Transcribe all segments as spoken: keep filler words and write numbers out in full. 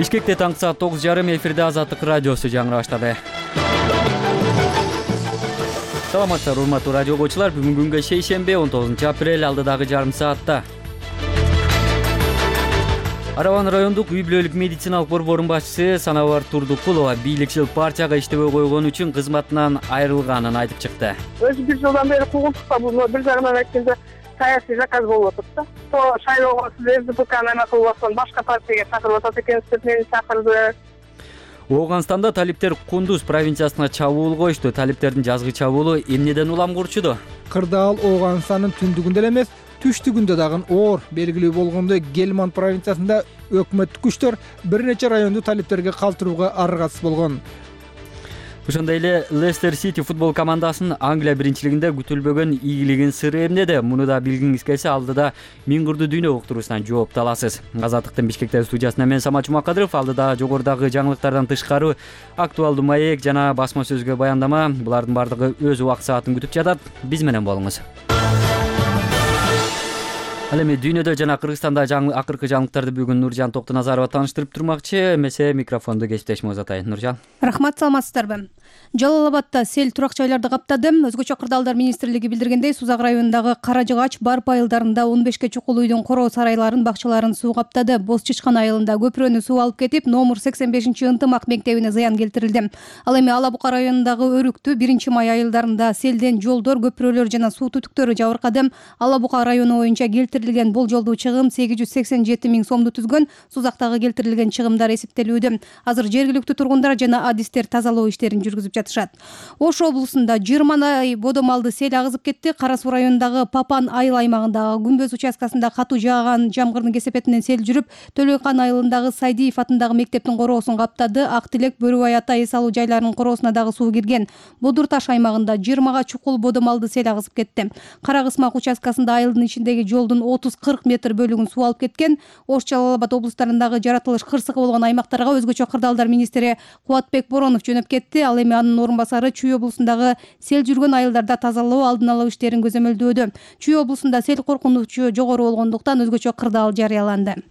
Бишкекте таңкы саат тогуз жарым эфирде Азаттык радиосу жаңы баштады. Саламатсыздар урматтуу радио окуучулар. Бүгүн күнгө шейшембе он тогузунчу апрель, алдыдагы жарым саатта Араван райондук үй бүлөлүк медициналык борборунун башчысы Санабар Турдукулова бийликчил партияга иштебей койгон үчүн кызматынан айрылганын айтып чыкты. Өзү бир жылдан бери куугунтукта бул бир жагынан айтканда саясий заказ болуп атат да. То шайлоого сиз РДПКны эме кылып аткан башка партияга чакырып атат экенсиз деп мени чакырды. Ооганстанда талиптер Кундуз провинциясына чабуул коюшту. Талиптердин жазгы чабуулу эмнеден улам курчуду? Кырдаал Ооганстандын түндүгүндө эле эмес, түштүгүндө дагы оор белгилүү болгондой Гельманд провинциясында өкмөттүк күчтөр бир нече районду талиптерге калтырууга аргасыз болгон. Ошондой эле Лестер Сити футбол командасынын Англия биринчилигинде күтүлбөгөн ийгилигин сыры эмнеде? Муну да билгиңиз келсе, алдыда Миң кырдуу дүйнө уктуруусунан жоопту аласыз. Азаттыктын Бишкектеги студиясында мен Самат Жумакадыров, алдыда жогорудагы жаңылыктардан тышкары актуалдуу маек жана басма сөзгө баяндама, булардын бардыгы өз убакыт саатын күтүп жатат. Биз менен болуңуз. Ал эми дүйнөдө жана Кыргызстанда жаңы акыркы жаңылыктарды бүгүн Нуржан Токтоназарова тааныштырып турмакчы. Эмесе микрофонду кесиптешиме узатайын. Нуржан. Рахмат, саламатсыздарбы? Жалал Абадта сел турак жайларды каптады. Өзгөчө кырдаалдар министрлиги билдиргендей, Сузак районундагы Кара Жыгач, Барп айылдарында он бешке чукул үйдүн короо сарайларын, бакчаларын суу каптады. Боз Чычкан айылында көпүрөнү суу алып кетип, номер сексен бешинчи ынтымак мектебине зыян келтирилди. Ал эми Ала Бука районундагы Өрүктү, биринчи май айылдарында селден жолдор, көпүрөлөр жана суу түтүктөрү жабыркады. Ала Бука району боюнча келтирилген болжолдуу чыгым сегиз жүз сексен жети миң сомду түзгөн. Сузактагы келтирилген чыгымдар эсептелүүдө. Азыр жергиликтүү тургундар жана адистер тазалоо иштерин жүргүзүп жатышат. Ош облусунда жыйырмадай бодомалды сел агызып кетти. Кара Суу районундагы Папан айыл аймагындагы Күнбөз участкасында катуу жааган жамгырдын кесепетинен сел жүрүп, Төлөйкан айылындагы Сайдиев атындагы мектептин короосун каптады. Ак Тилек, Бөрүбай ата эс алуу жайларынын короосуна дагы суу кирген. Бодур Таш аймагында жыйырмага чукул бодомалды сел агызып кетти. Кара Кысмак участкасында айылдын ичиндеги жолдун отуз кырк метр бөлүгүн суу алып кеткен. Ош, Жалал Абад облустарындагы жаратылыш кырсыгы болгон аймактарга өзгөчө кырдаалдар министри Кубатбек Боронов жөнөп кетти. Ал эми анын орун басары Чүй облусундагы сел жүргөн айылдарда тазалоо, алдын алуу иштерин көзөмөлдөөдө. Чүй облусунда сел коркунучу жогору болгондуктан өзгөчө кырдаал жарыяланды.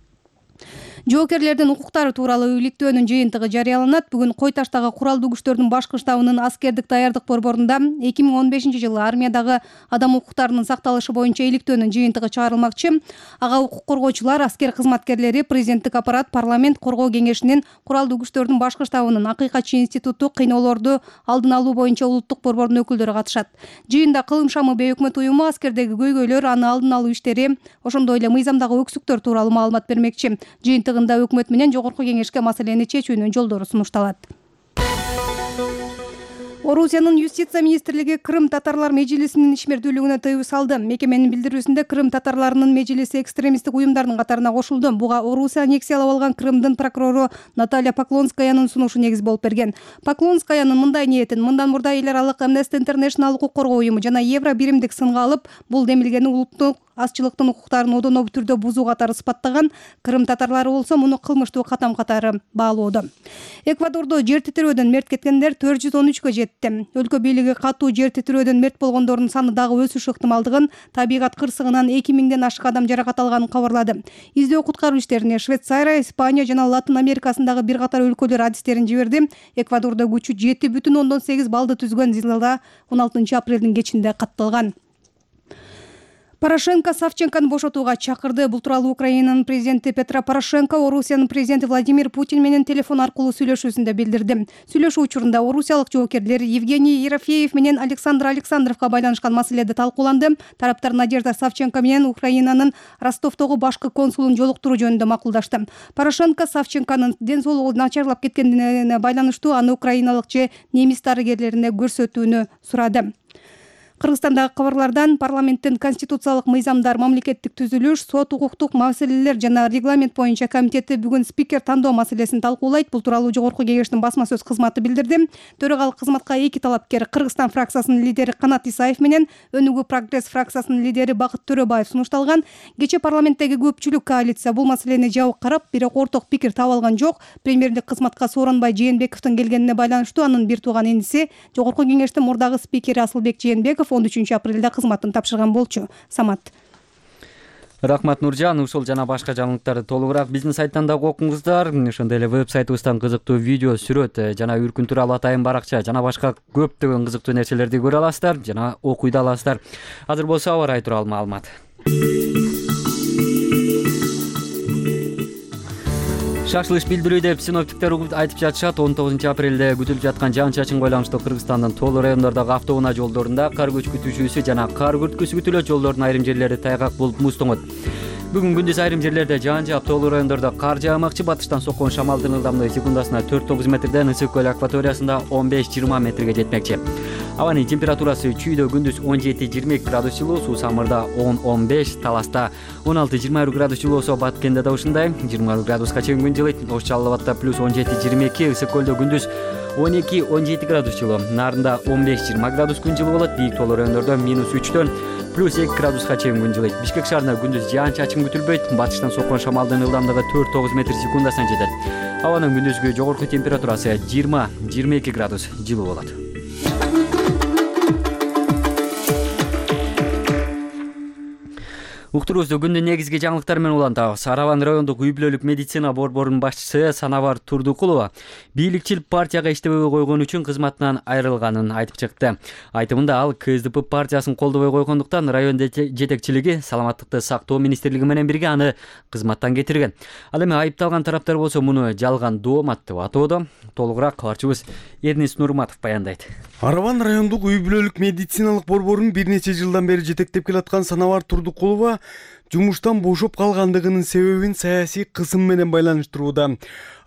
Жоокерлердин укуктары тууралуу иликтөөнүн жыйынтыгы жарыяланат. Бүгүн Кой Таштагы куралдуу күчтөрдүн башкы штабынын аскердик даярдык борборунда эки миң он бешинчи жылы армиядагы адам укуктарынын сакталышы боюнча иликтөөнүн жыйынтыгы чыгарылмакчы. Ага укук коргоочулар, аскер кызматкерлери, президенттик аппарат, парламент, коргоо кеңешинин, куралдуу күчтөрдүн башкы штабынын, акыйкатчы институту, кыйноолорду алдын алуу боюнча улуттук борбордун өкүлдөрү катышат. Жыйында Кылым шамы бейөкмөт уюму аскердеги көйгөйлөр, аны алдын алуу иштери, ошондой эле мыйзамдагы өксүктөр тууралуу маалымат бермекчи. Жыйынтыгында өкмөт менен жогорку кеңешке маселени чечүүнүн жолдору сунушталат. Орусиянын юстиция министрлиги Крым татарлар межлисинин ишмердүүлүгүнө тыюу салды. Мекеменин билдирүүсүндө Крым татарларынын межлиси экстремисттик уюмдардын катарына кошулду. Буга Орусия аннексиялап алган Крымдын прокурору Наталья Поклонскаянын сунушу негиз болуп берген. Поклонскаянын мындай ниетин мындан мурда эл аралык Amnesty International укук коргоо уюму жана Евро биримдик сынга алып, бул демилгени улуттук азчылыктын укуктарын одоно түрдө бузуу катары сыпаттаган. Крым татарлары болсо муну кылмыштуу катам катары баалоодо. Эквадордо жер титирөөдөн мерт кеткендер төрт жүз он үчкө жетти. Өлкө бийлиги катуу жер титирөөдөн мерт болгондордун саны дагы өсүш ыктымалдыгын, табигат кырсыгынан эки миңден ашык адам жаракат алганын кабарлады. Издөө куткаруу иштерине Швейцария, Испания жана Латын Америкасындагы бир катар өлкөлөр адистерин жиберди. Эквадордо күчү жети бүтүн ондон сегиз баллды түзгөн зилзала он алтынчы апрелдин кечинде катталган. Порошенко Савченкону бошотууга чакырды. Бул тууралуу Украинанын президенти Петро Порошенко Орусиянын президенти Владимир Путин менен телефон аркылуу сүйлөшүүсүндө билдирди. Сүйлөшүү учурунда орусиялык жоокерлер Евгений Ерофеев менен Александр Александровго байланышкан маселеде талкууланды. Тараптар Надежда Савченко менен Украинанын Ростовдогу башкы консулун жолуктуруу жөнүндө макулдашты. Порошенко Савченконун ден соолугу начарлап кеткенине байланыштуу аны украиналык же немис дарыгерлерине көрсөтүүнү сурады. Кыргызстандагы кабарлардан парламенттин конституциялык мыйзамдар, мамлекеттик түзүлүш, сот, укуктук маселелер жана регламент боюнча комитети бүгүн спикер тандоо маселесин талкуулайт. Бул тууралуу жогорку кеңештин басма сөз кызматы билдирди. Төрагалык кызматка эки талапкер Кыргызстан фракциясынын лидери Канат Исаев менен Өнүгүү прогресс фракциясынын лидери Бакыт Төрөбаев сунушталган. Кечээ парламенттеги көпчүлүк коалиция бул маселени жабык карап, бирок орток пикир таба алган жок. Премьерлик кызматка Сооронбай Жээнбековдун келгенине байланыштуу анын бир тууган иниси жогорку кеңештин мурдагы спикери Асылбек Жээнбеков он үчүнчү апрелде кызматын тапшырган болчу. Самат. Рахмат Нуржан. Ушул жана башка жаңылыктарды толугураак биздин сайттан дагы окуңуздар. Ошондой эле веб-сайтыбыздан кызыктуу видео, сүрөт жана үркүн тууралуу атайын баракча жана башка көптөгөн кызыктуу нерселерди көрө аласыздар жана окуй да аласыздар. Азыр болсо аба ырайы тууралуу маалымат. Шашылыш билдирүү деп синоптиктер айтып жатышат. он тогузунчу апрелде күтүлүп жаткан жаан-чачынга байланыштуу Кыргызстандын тоолуу райондордогу автоунаа жолдорунда кар көчкү түшүүсү жана кар күрткүсү күтүлөт. Жолдордун айрым жерлери тайгак болуп муз тоңот. Бүгүн күндүз айрым жерлерде жаан жаап, тоолуу райондордо кар жаагмакчы. Батыштан соккон шамалдын ылдамдыгы секундасына төрт тогуз метрден Ысык көл акваториясында он беш жыйырма метрге жетмекчи. Абанын температурасы чүйдө күндүз он жети жыйырма эки градус жылуу, суу самырда он он беш, Таласта он алты жыйырма бир градус жылуу болсо, Баткенде да ушундай жыйырма бир градуска чейин күн жылыйт. Ош Жалал Абадда плюс он жети жыйырма эки, Ысык көлдө күндүз он эки он жети градус жылуу, Нарында он беш жыйырма градус күн жылуу болот. Бийик тоолуу райондордо минус үчтөн плюс эки градуска чейин күн жылыйт. Бишкек шаарында күндүз жаан-чачын күтүлбөйт. Батыштан соккон шамалдын ылдамдыгы төрт тогуз метр секундасына жетет. Абанын күндүзгү жогорку температурасы жыйырма жыйырма эки градус жылуу болот. Уктуруубузду күндүн негизги жаңылыктары менен улантабыз. Араван райондук үй бүлөлүк медицина борборунун башчысы Санабар Турдукулова бийликчил партияга иштебей койгон үчүн кызматынан айрылганын айтып чыкты. Айтымында ал КСДП партиясын колдобой койгондуктан район жетекчилиги Саламаттыкты сактоо министрлиги менен бирге аны кызматтан кетирген. Ал эми айыпталган тараптар болсо муну жалган доомат деп атоодо. Толугураак кабарчыбыз Эрнис Нурматов баяндайт. Араван райондук үй бүлөлүк медициналык борборун бир нече жылдан бери жетектеп келаткан Санабар Турдукулова жумуштан бошоп калгандыгынын себебин саясий кысым менен байланыштырууда.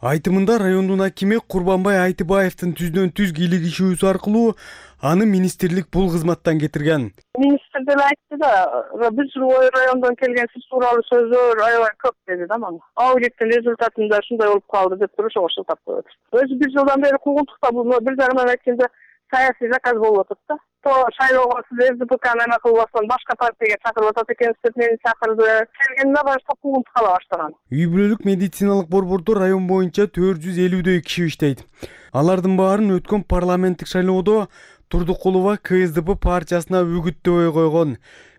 Айтымында райондун акими Курбанбай Айтыбаевдин түздөн түз кийлигишүүсү аркылуу аны министрлик бул кызматтан кетирген. Министр деле айтты да, биз райондон келген сиз тууралуу сөздөр аябай көп деди да мага. Аудиттин результатында ушундай болуп калды деп туруп ошол шылтап коет. Өзү бир жылдан бери куугунтукта бул бир жарымдан айтканда саясий заказ болуп атат да. То шайлоого сиз РДПКны эме кылып аткан башка партияга чакырып атат экенсиз деп мени чакырды. Келгенине баштап куугунтук кала баштаган. Үй бүлөлүк медициналык борбордо район боюнча төрт жүз элүүдөй киши иштейт. Алардын баарын өткөн парламенттик шайлоодо Турдукулова КСДП партиясына үгүттөбөй койгон.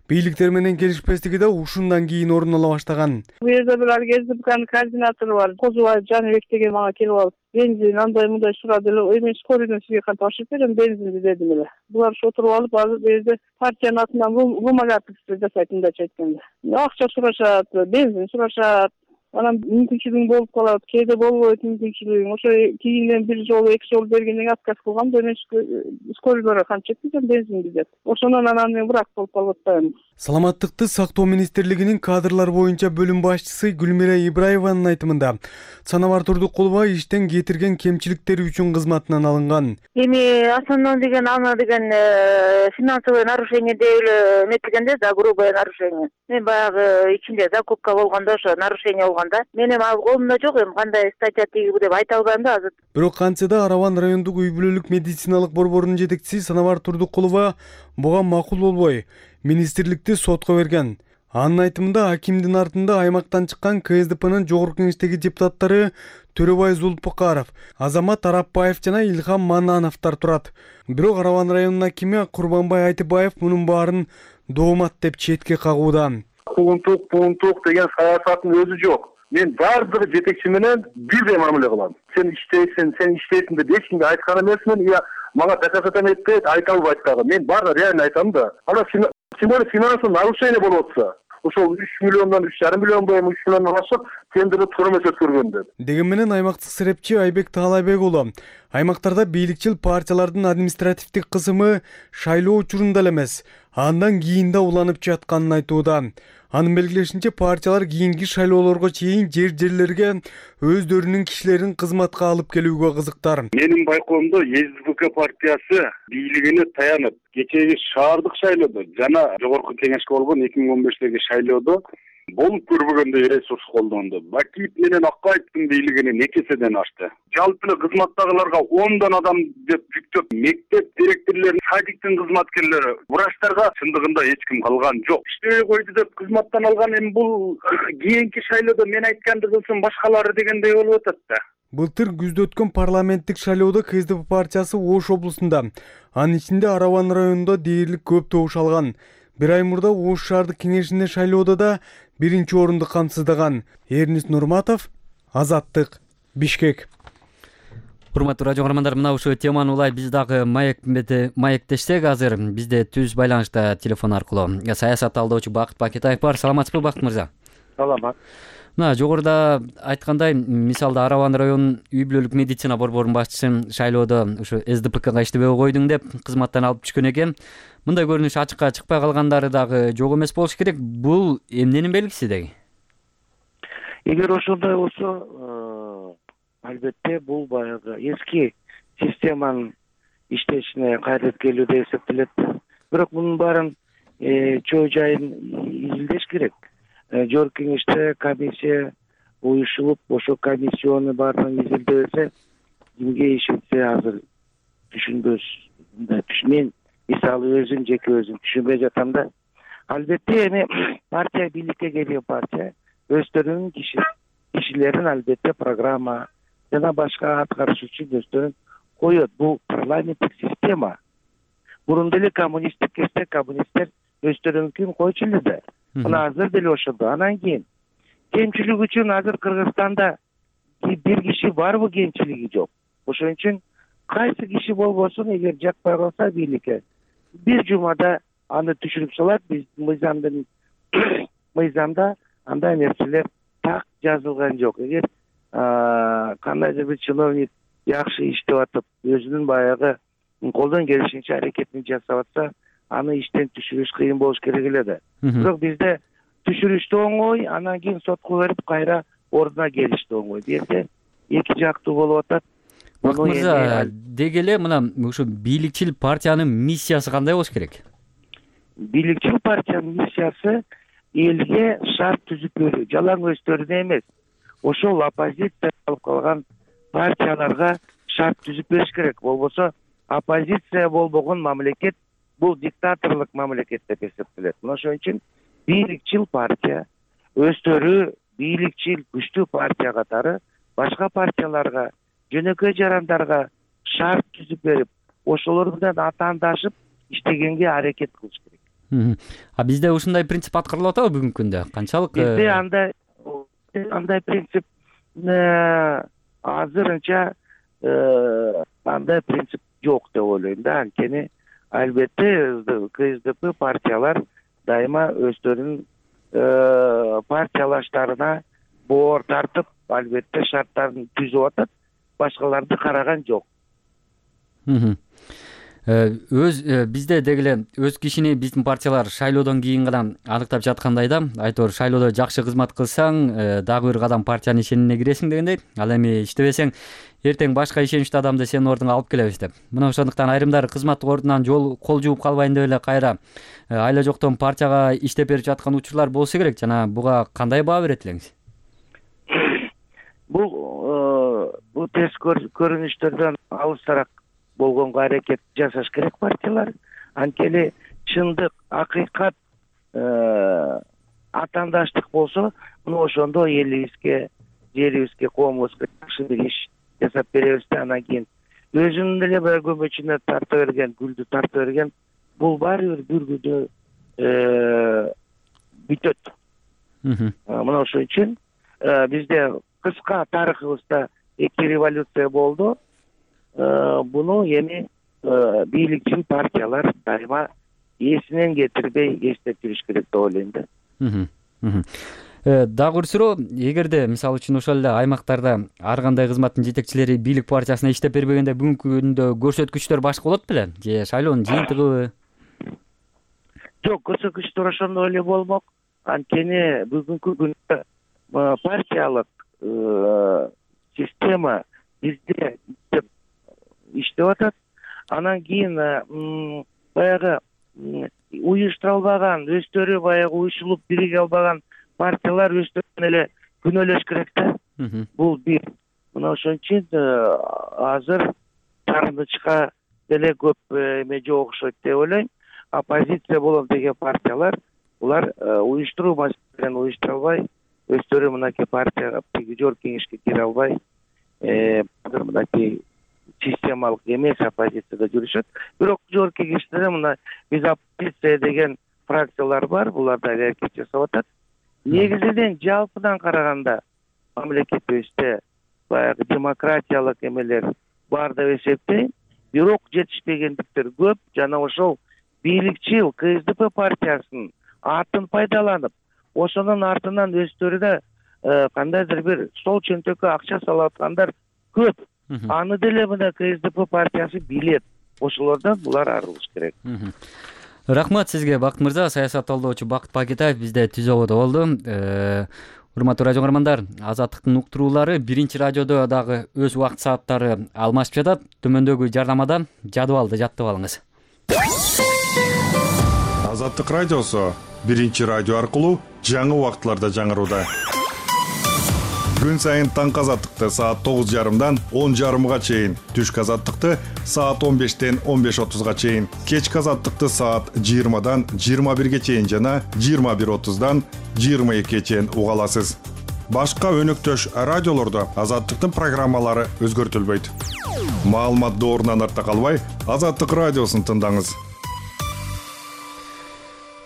Бийликтер менен келишпестиги да ушундан кийин орун ала баштаган. Бул жерде бир КСДПнын координатору бар, Козубаев Жаныбек деген мага келип алып, бензин андай мындай сурады эле, эми скорыйдон сизге кантип ашып берем бензинди дедим эле. Булар отуруп алып, азыр бул жерде партиянын атынан вымогательство жасайт мындайча айтканда. Акча сурашат, бензин сурашат. Анан мүмкүнчүлүгүң болуп калат, кээде болбойт мүмкүнчүлүгүң. Ошо кийинен бир жолу, эки жолу бергенден кийин отказ кылгам, мен скорыйлорго кантип жеткизем бензинди деп. Ошондон анан мен бирок болуп калып атпаймын. Саламаттыкты сактоо министрлигинин кадрлар боюнча бөлүм башчысы Гүлмира Ибраеванын айтымында Санабар Турдукулова иштен кетирген кемчиликтери үчүн кызматынан алынган. Эми основной деген аны деген финансовое нарушение деп эле эметилгенде да, грубое нарушение. Мен баягы ичинде закупка болгондо ошо нарушение болгондо мен эми ал колумда жок, эми кандай статья тийгиби деп айта албайм да азыр. Бирок кантсе да Араван райондук үй бүлөлүк медициналык борборунун жетекчиси Санабар Турдукулова буга макул болбой министрликти сотко берген. Анын айтымында акимдин артында аймактан чыккан КСДПнын жогорку кеңештеги депутаттары Төрөбай Зулпукаров, Азамат Арапбаев жана Илхам Манановдор турат. Бирок Араван районунун акими Курбанбай Айтыбаев мунун баарын доомат деп четке кагууда. Куугунтук, пуунтук деген саясаттын өзү жок. Мен баары бир жетекчи менен бирдей мамиле кылам. Сен иштейсиң, сен иштейсиң деп эч кимге айткан эмесмин. Я мага доказать этпейт, айта албайт дагы. Мен баары реально айтам да. Ана тем более финансовый нарушение болуп атса, ошол үч миллиондон үч жарым миллион боюнча үч миллиондон ашып тендерди турмуш өткөргөн деп. Деген менен аймактык серепчи Айбек Таалайбек уулу аймактарда бийликчил партиялардын административдик кысымы шайлоо учурунда эле эмес, андан кийин да уланып жатканын айтууда. Анын белгилешинче партиялар кийинки шайлоолорго чейин жер-жерлерге өздөрүнүн кишилерин кызматка алып келүүгө кызыктар. Менин байкоомдо СДПК партиясы бийлигине таянып, кечеги шаардык шайлоодо жана жогорку кеңешке болгон эки миң он бештеги шайлоодо болуп көрбөгөндөй ресурс колдонду. Бакиев менен Акаевдин бийлигинин эки эседен ашты. Жалпы эле кызматтагыларга ондон адам деп жүктөп, мектеп директорлору, садиктин кызматкерлери, врачтарга чындыгында эч ким калган жок. Иштебей койду деп кызматтан алган эми бул кийинки шайлоодо мен айтканды кылсын башкалары дегендей болуп атат да. Былтыр күздө өткөн парламенттик шайлоодо КСДП партиясы Ош облусунда, анын ичинде Араван районунда дээрлик көп добуш алган. Бир ай мурда Ош шаардык кеңешинде шайлоодо да биринчи орунду камсыздаган Эрнис Нурматов, Азаттык, Бишкек. Урматтуу радио каармандар, мына ушул теманы улай биз дагы маектешсек, азыр бизде түз байланышта телефон аркылуу саясат талдоочу Бакыт Бакетаев бар. Саламатсызбы, Бакыт мырза? Саламат. Мына жогоруда айткандай, мисалда Арабан районунун үй бүлөлүк медицина борборунун башчысы шайлоодо ушу эс дэ пэ ка иштебей койдуң деп кызматтан алып түшкөн экен. Мындай көрүнүш ачыкка чыкпай калгандары дагы жок эмес болуш керек. Бул эмненин белгиси деги? Эгер ошондой болсо, албетте бул баягы эски системанын иштешине кайтып келүү деп эсептелет. Бирок мунун баарын чоо жайын изилдеш керек. Жогорку кеңеште комиссия уюшулуп, ошо комиссияны баарын изилдебесе, кимге ишенсе азыр түшүнбөс. Мен мисалы өзүм жеке өзүм түшүнбөй жатам да. Албетте эми партия бийликке келген партия өздөрүнүн киши кишилерин албетте программа жана башка аткарышчы өздөрүн коет. Бул парламенттик система. Мурун деле коммунисттик кезде коммунисттер өздөрүнүнкүн койчу эле да. Мына азыр деле ошондо. Анан кийин кемчилик үчүн азыр Кыргызстанда бир киши барбы, кемчилиги жок. Ошон үчүн кайсы киши болбосун, эгер жакпай калса бийликке, бир жумада аны түшүрүп салат. Биз мыйзамдын мыйзамда андай нерселер так жазылган жок. Эгер кандайдыр бир чиновник жакшы иштеп атып, өзүнүн баягы колдон келишинче аракетин жасап атса, аны иштен түшүрүш кыйын болуш керек эле да. Бирок бизде түшүрүш да оңой, анан кийин сотко берип кайра ордуна келиш да оңой. Бирде эки жактуу болуп атат. Бакыт мырза, деги эле мына ушу бийликчил партиянын миссиясы кандай болуш керек? Бийликчил партиянын миссиясы элге шарт түзүп берүү, жалаң өздөрүнө эмес. Ошол оппозиция алып калган партияларга шарт түзүп бериш керек. Болбосо оппозиция болбогон мамлекет бул диктаторлук мамлекет деп эсептелет. Ошон үчүн бийликчил партия өздөрү бийликчил күчтүү партия катары башка партияларга, жөнөкөй жарандарга шарт түзүп берип, ошолор менен атаандашып иштегенге аракет кылыш керек. А бизде ушундай принцип аткарылып атабы бүгүнкү күндө? Канчалык? Бизде андай андай принцип азырынча андай принцип жок деп ойлойм да. Анткени албетте ка эс дэ пэ партиялар дайыма өздөрүнүн партиялаштарына боор тартып, албетте шарттарын түзүп атат, башкаларды караган жок. Өз бизде деги эле өз кишини биздин партиялар шайлоодон кийин гана аныктап жаткандай да. Айтор шайлоодо жакшы кызмат кылсаң, дагы бир кадам партиянын ишенимине киресиң дегендей. Ал эми иштебесең, эртең башка ишеничтүү адамды сенин ордуңа алып келебиз деп. Мына ошондуктан айрымдары кызматтык ордунан жол кол жууп калбайын деп эле кайра айла жоктон партияга иштеп берип жаткан учурлар болсо керек. Жана буга кандай баа берет элеңиз? Бул бул терс көрүнүштөрдөн алысыраак болгонго аракет жасаш керек партиялар. Анткени чындык, акыйкат, атаандаштык болсо, мына ошондо элибизге, жерибизге, коомубузга жакшы бир иш жасап беребиз да. Анан кийин өзүнүн деле баягы көмөчүнө тарта берген, гүлдү тарта берген, бул баары бир бир күндө бүтөт. Мына ошон үчүн бизде кыска тарыхыбызда эки революция болду. Буну эми бийликчил партиялар дайыма эсинен кетирбей эстеп жүрүш керек деп ойлойм да. Дагы бир суроо, эгерде мисалы үчүн ошол эле аймактарда ар кандай кызматтын жетекчилери бийлик партиясына иштеп бербегенде бүгүнкү күндө көрсөткүчтөр башка болот беле? Же шайлоонун жыйынтыгыбы? Жок, көрсөткүчтөр ошондой эле болмок. Анткени бүгүнкү күндө партиялык система бизде иштеп атат. Анан кийин баягы уюштурулбаган, өздөрү баягы уюшулуп бириге албаган партиялар өздөрүн эле күнөөлөш керек да. Бул бир. Мына ошон үчүн азыр тартынычка деле көп эме жок окшойт деп ойлойм. Оппозиция болом деген партиялар булар уюштуруу маселелерин уюштура албай, өздөрү мынакей партияга, жогорку кеңешке кире албай, мынакей системалык эмес оппозицияда жүрүшөт. Бирок жогорку кеңеште мына биз оппозиция деген фракциялар бар, булар да аракет жасап атат. негизинен жалпыдан караганда мамлекетибизде баягы демократиялык эмелер бар деп эсептейм. Бирок жетишпегендиктер көп жана ошол бийликчил КСДП партиясынын атын пайдаланып, ошонун артынан өздөрү да кандайдыр бир стол чөнтөккө акча салып аткандар көп. Аны деле мына КСДП партиясы билет. Ошолордон булар арылыш керек. Рахмат сизге, Бакыт мырза. Саясат талдоочу Бакыт Пакетаев бизде түзөгөдө болду. Урматтуу радио көрөрмандар, Азаттыктын уктуруулары биринчи радиодо дагы өз убакыт сааттары алмашып жатат. Төмөндөгү жардамадан жадыбалды жаттып алыңыз. Азаттык радиосу биринчи радио аркылуу жаңы убакытларда жаңырууда. Күн сайын таңкы азаттыкты саат тогуз жарымдан он жарымга чейин, түшкү азаттыкты саат он бештен он беш отузга чейин, кечки азаттыкты саат жыйырмадан жыйырма бирге чейин жана жыйырма бир отуздан жыйырма экиге чейин уга аласыз. Башка өнөктөш радиолордо азаттыктын программалары өзгөртүлбөйт. Маалымат доорунан артта калбай, Азаттык радиосун тыңдаңыз.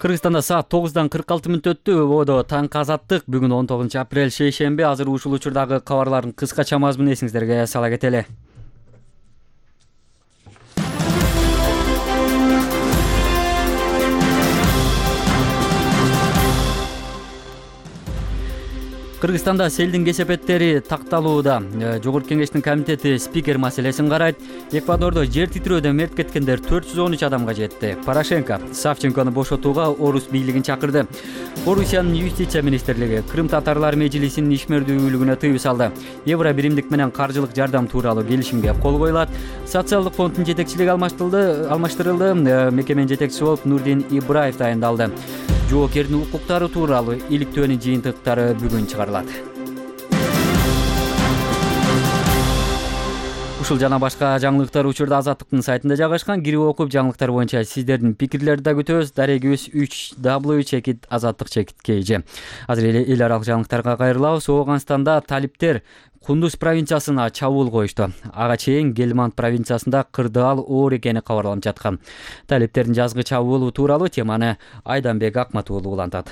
Кыргызстанда саат тогуздан кырк алты мүнөт өттү. Ободо таңкы азаттык. Бүгүн он тогузунчу апрель шейшемби. Азыр ушул учурдагы кабарлардын кыскача мазмунун эсиңиздерге сала кетели. Кыргызстанда селдин кесепеттери такталууда. Жогорку кеңештин комитети спикер маселесин карайт. Эквадордо жер титирөөдөн мерт кеткендер төрт жүз он үч адамга жетти. Порошенко Савченкону бошотууга орус бийлигин чакырды. Орусиянын юстиция министрлиги Крым татарлар межлисинин ишмердүүлүгүнө тыюу салды. Евро биримдик менен каржылык жардам тууралуу келишимге кол коюлат. Социалдык фонддун жетекчилиги алмаштырылды. Алмаштырылды. Мекеменин жетекчиси болуп Нурдин Ибраев тайындалды. Жоокердин укуктары тууралуу иликтөөнүн жыйынтыктары бүгүн чыгарылат. Ушул жана башка жаңылыктар учурда Азаттыктын сайтында жайгашкан. Кирип окуп жаңылыктар боюнча сиздердин пикирлерди да күтөбүз. Дарегибиз үч дабл ю чекит азаттык чекит kg. Азыр эле эл аралык жаңылыктарга кайрылабыз. Ооганстанда талиптер Кундуз провинциясына чабуул коюшту. Ага чейин Гельманд провинциясында кырдаал оор экени кабарланып жаткан. Талиптердин жазгы чабуулу тууралуу теманы Айданбек Акматуулу улантат.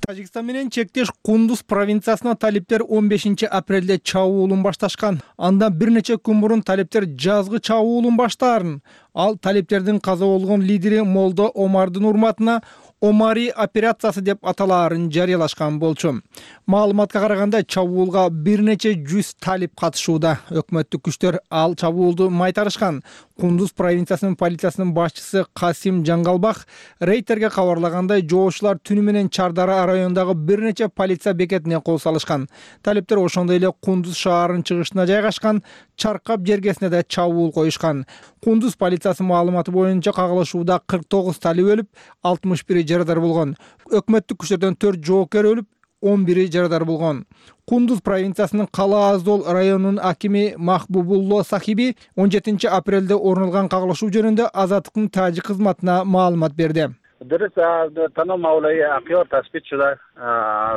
Тажикстан менен чектеш Кундуз провинциясына талиптер он бешинчи апрелде чабуулун башташкан. Андан бир нече күн мурун талиптер жазгы чабуулун баштаарын. Ал талиптердин каза болгон лидери Молдо Омардын урматына Омари операциясы деп аталаарын жарыялашкан болчу. Маалыматка караганда чабуулга бир нече жүз талип катышууда. Өкмөттүк күчтөр ал чабуулду майтарышкан. Кундуз провинциясынын полициясынын башчысы Касим Жаңгалбах рейтерге кабарлагандай, жоошулар түнү менен Чардара районундагы бир нече полиция бекетине кол салышкан. Талиптер ошондой эле Кундуз шаарынын чыгышына жайгашкан Чаркап жергесине да чабуул коюшкан. Кундуз полициясынын маалыматы боюнча кагылышууда кырк тогуз талип өлүп, алтымыш бири жарадар болгон. Өкмөттүк күчтөрдөн төрт жоокер өлүп, он бири жарадар болгон. Кундуз провинциясынын Кала Аздол районунун акими Махбубулло Сахиби он жетинчи апрелде орун алган кагылышуу жөнүндө Азаттыктын тажик кызматына маалымат берди. درس تنو مولاي اقيار تثبيت شده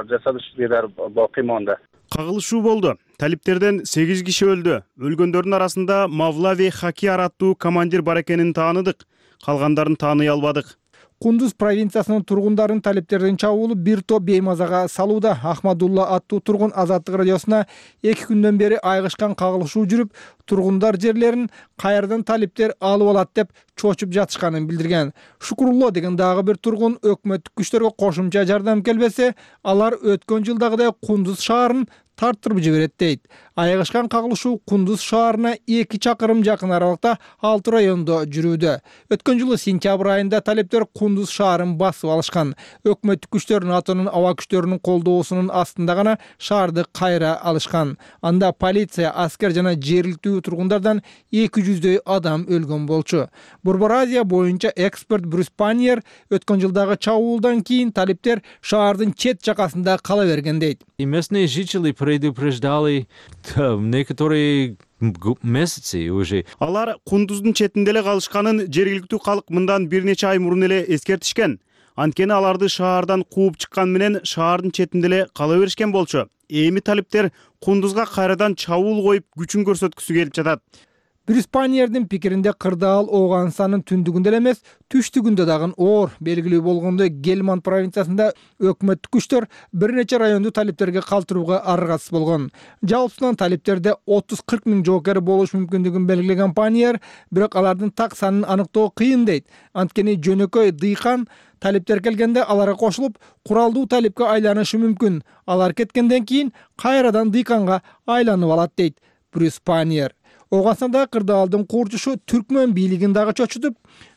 جسد در باقی مانده. Кагылышуу болду. Талиптерден сегиз киши өлдү. Өлгөндөрдүн арасында Мавлави Хакияр аттуу командир бар экенин тааныдык. Калгандарын тааный албадык. Кундуз провинциясынын тургундарын талиптердин чабуулу бир топ беймазага салууда. Ахмадулла аттуу тургун Азаттык радиосуна эки күндөн бери айгышкан кагылышуу жүрүп, тургундар жерлерин кайрадан талиптер алып алат деп чочуп жатышканын билдирген. Шукурулло деген дагы бир тургун өкмөттүк күчтөргө кошумча жардам келбесе, алар өткөн жылдагыдай Кундуз шаарын тарттырып жиберет дейт. Айгышкан кагылышуу Кундуз шаарына эки чакырым жакын аралыкта алты райондо жүрүүдө. Өткөн жылы сентябрь айында талиптер Кундуз шаарын басып алышкан. Өкмөттүк күчтөрдүн атынын аба күчтөрүнүн колдоосунун астында гана шаарды кайра алышкан. Анда полиция, аскер жана жергиликтүү тургундардан эки жүздөй адам өлгөн болчу. Борбор Азия боюнча эксперт Брюс Паньер өткөн жылдагы чабуулдан кийин талиптер шаардын чет жакасында кала берген дейт. Местные жители предупреждали некоторые месяцы уже. Алар Кундуздун четинде эле калышканын жергиликтүү калк мындан бир нече ай мурун эле эскертишкен. Анткени аларды шаардан кууп чыккан менен шаардын четинде эле кала беришкен болчу. Эми талиптер Кундузга кайрадан чабуул коюп күчүн көрсөткүсү келип жатат. Брюс Паньердин пикиринде кырдаал Ооганстандын түндүгүндө эле эмес, түштүгүндө дагы оор. Белгилүү болгондой, Гельманд провинциясында өкмөттүк күчтөр бир нече районду талиптерге калтырууга аргасыз болгон. Жалпысынан талиптерде отуз кырк миң жоокер болушу мүмкүндүгүн белгилеген Паньер, бирок алардын так санын аныктоо кыйын дейт. Анткени жөнөкөй дыйкан талиптер келгенде аларга кошулуп, куралдуу талипке айланышы мүмкүн. Алар кеткенден кийин кайрадан дыйканга айланып алат дейт Брюс Паньер. Ооганстандагы кырдаалдын курчушу түркмөн бийлигин дагы чочутуп,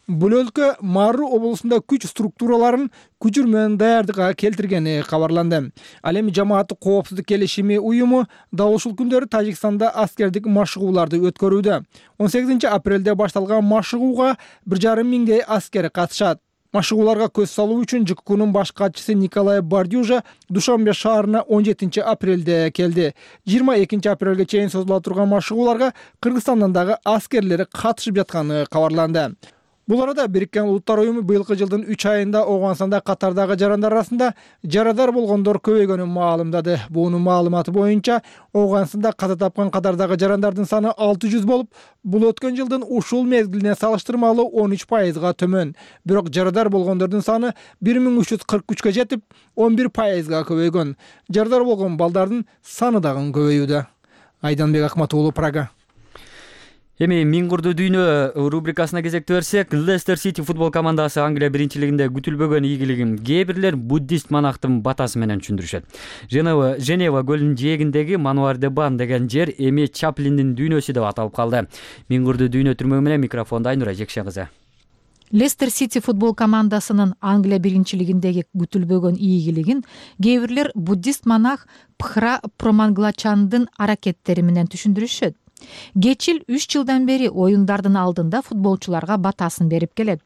бул өлкө Мару облусунда күч структураларын күчүр менен даярдыкка келтиргени кабарланды. Ал эми жамааттык коопсуздук келишими уюму дал ушул күндөрү Тажикстанда аскердик машыгууларды өткөрүүдө. он сегизинчи апрелде башталган машыгууга бир жарым миңдей аскер катышат. Машыгууларга көз салуу үчүн ЖККнун баш катчысы Николай Бардюжа Душанбе шаарына он жетинчи апрелде келди. жыйырма экинчи апрелге чейин созула турган машыгууларга Кыргызстандан дагы аскерлери катышып жатканы кабарланды. Бул арада Бириккен Улуттар уюму быйылкы жылдын үч айында Ооганстанда катардагы жарандар арасында жарадар болгондор көбөйгөнүн маалымдады. Буунун маалыматы боюнча, Ооганстанда каза тапкан катардагы жарандардын саны алты жүз болуп, бул өткөн жылдын ушул мезгилине салыштырмалуу он үч пайызга төмөн. Бирок жарадар болгондордун саны бир миң үч жүз кырк үчкө жетип, он бир пайызга көбөйгөн. Жарадар болгон балдардын саны дагы көбөйүүдө. Айданбек Акмат уулу, Прага. Эми Миңгурду дүйнө рубрикасына кезекти берсек, Лестер Сити футбол командасы Англия биринчилигинде күтүлбөгөн ийгилигин кээ бирлер буддист манактын батасы менен түшүндүрүшөт. Женева Женева көлүнүн жээгиндеги Мануар де Бан деген жер эми Чаплиндин дүйнөсү деп аталып калды. Миңгурду дүйнө түрмөгү менен микрофонду Айнура Жекше кызы. Лестер Сити футбол командасынын Англия биринчилигиндеги күтүлбөгөн ийгилигин кээ бирлер буддист монах Пхра Проманглачандын аракеттери менен түшүндүрүшөт. Кечил үч жылдан бери оюндардын алдында футболчуларга батасын берип келет.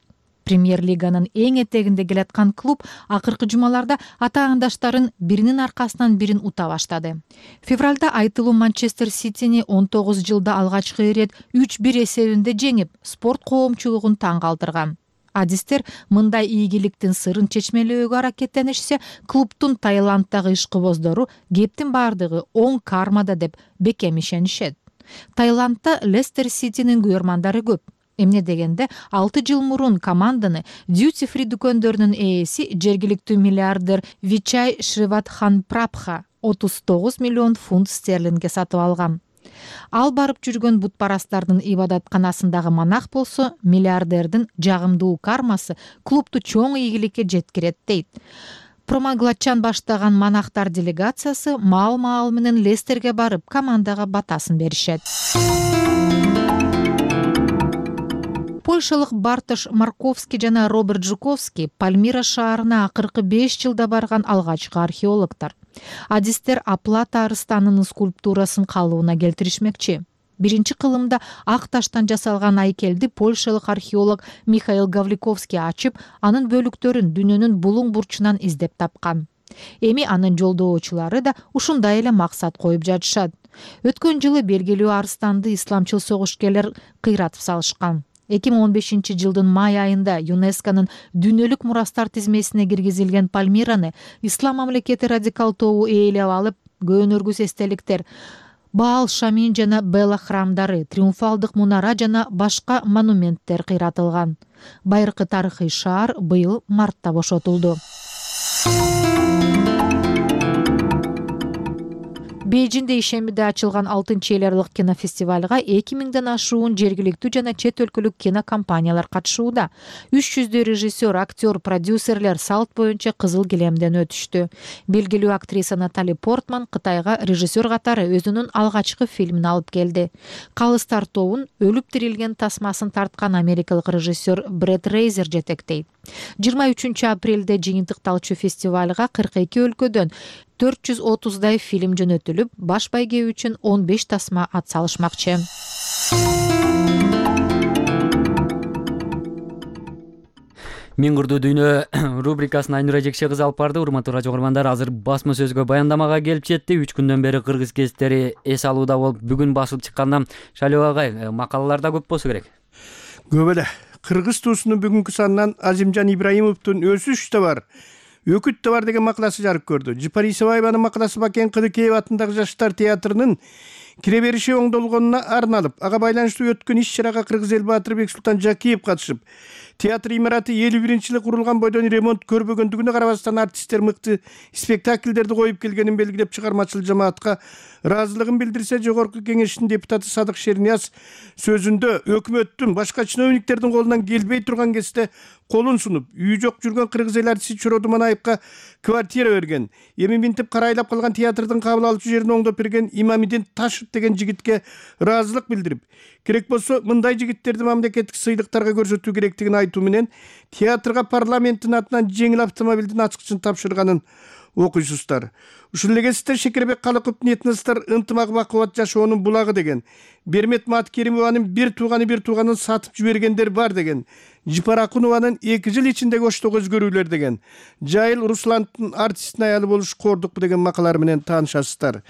Премьер-лиганын эң этегинде келаткан клуб акыркы жумаларда атаандаштарын биринин аркасынан бирин ута баштады. Февралда айтылуу Манчестер Ситини он тогуз жылда алгачкы ирет үч бир эсебинде жеңип, спорт коомчулугун таң калтырган. Адистер мындай ийгиликтин сырын чечмелөөгө аракеттенишсе, клубдун Таиланддагы ишкыбоздору кептин бардыгы оң кармада деп бекем ишенишет. Таиландда Лестер Ситинин күйөрмандары көп. Эмне дегенде, алты жыл мурун команданы Duty Free дүкөндөрүнүн ээси жергиликтүү миллиардер Вичай Шриватханпрабха отуз тогуз миллион фунт стерлингге сатып алган. Ал барып жүргөн бутпарастардын ибадатканасындагы монах болсо, миллиардердин жагымдуу кармасы клубду чоң ийгиликке жеткирет дейт. Проманглачан баштаган монахтар делегациясы маал-маал менен Лестерге барып, командага батасын беришет. Польшалык Бартош Марковский жана Роберт Жуковский Пальмира шаарына акыркы беш жылда барган алгачкы археологдор. Адистер Аплата арыстанынын скульптурасын калыбына келтиришмекчи. Биринчи кылымда ак таштан жасалган айкелди польшалык археолог Михаил Гавликовский ачып, анын бөлүктөрүн дүйнөнүн булуң бурчунан издеп тапкан. Эми анын жолдоочулары да ушундай эле максат коюп жатышат. Өткөн жылы белгилүү арыстанды исламчыл согушкерлер кыйратып салышкан. эки миң он бешинчи жылдын май айында ЮНЕСКОнун дүйнөлүк мурастар тизмесине киргизилген Пальмираны ислам мамлекети радикал тобу ээлеп алып, көөнөргүс эстеликтер, Баал Шамин жана Бела храмдары, триумфалдык мунара жана башка монументтер кыйратылган. Байыркы тарыхый шаар быйыл мартта бошотулду. Бейжинде ишембиде ачылган алтынчы эл аралык кинофестивалга эки миңден ашуун жергиликтүү жана чет өлкөлүк кинокомпаниялар катышууда. үч жүздөй режиссер, актер, продюсерлер салт боюнча кызыл килемден өтүштү. Белгилүү актриса Натали Портман Кытайга режиссер катары өзүнүн алгачкы фильмин алып келди. Калыс тартообун өлүп тирилген тасмасын тарткан америкалык режиссер Брэд Рейзер жетектейт. жыйырма үчүнчү апрелде жыйынтыкталчу фестивалга кырк эки өлкөдөн төрт жүз отуздай фильм жөнөтүлүп, баш байге үчүн он беш тасма ат салышмакчы. Миңгурду дүйнө рубрикасын Айнура Жекше кызы алып барды. Урматтуу радио көрөрмандар, азыр басма сөзгө баяндамага келип жетти. үч күндөн бери кыргыз гезиттери эс алууда болуп, бүгүн басылып чыккандан Шалио агай, макалалар да көп болсо керек. Көп эле. Кыргыз туусунун бүгүнкү санынан Азимжан Ибраимовдун Өсүш да бар, Өкүт да бар деген макаласы жарык көрдү. Жыпар Исабаеванын макаласы Бакен Кыдыкеев атындагы Жаштар театрынын кире бериши оңдолгонуна арналып, ага байланыштуу өткөн иш-чарага Кыргыз эл баатыры Бексултан Жакиев катышып, театр имараты элүү биринчи жылы курулган бойдон ремонт көрбөгөндүгүнө карабастан артисттер мыкты спектакльдерди коюп келгенин белгилеп, чыгармачыл жамаатка ыраазылыгын билдирсе, жогорку кеңештин депутаты Садык Шернияз сөзүндө өкмөттүн башка чиновниктердин колунан келбей турган кезде колун сунуп, үйү жок жүргөн кыргыз эл артисти Чороду Манаевка квартира берген, эми минтип карайлап калган театрдын кабыл алуучу жерин оңдоп берген Имамидин Ташев деген жигитке ыраазылык билдирип, керек болсо мындай жигиттерди мамлекеттик сыйлыктарга көрсөтүү керектигин айтуу менен театрга парламенттин атынан жеңил автомобилдин ачкычын тапшырганын окуйсуздар. Ушул эле кезекте Шекербек Калыковдун этностор ынтымак бакубат жашоонун булагы деген, Бермет Маткеримованын бир тууганы бир тууганын сатып жибергендер бар деген, Жипар Акунованын эки жыл ичинде оштогу өзгөрүүлөр деген, Жайыл Руслановдун артисттин аялы болуш кордукпу деген макалалар менен таанышасыздар.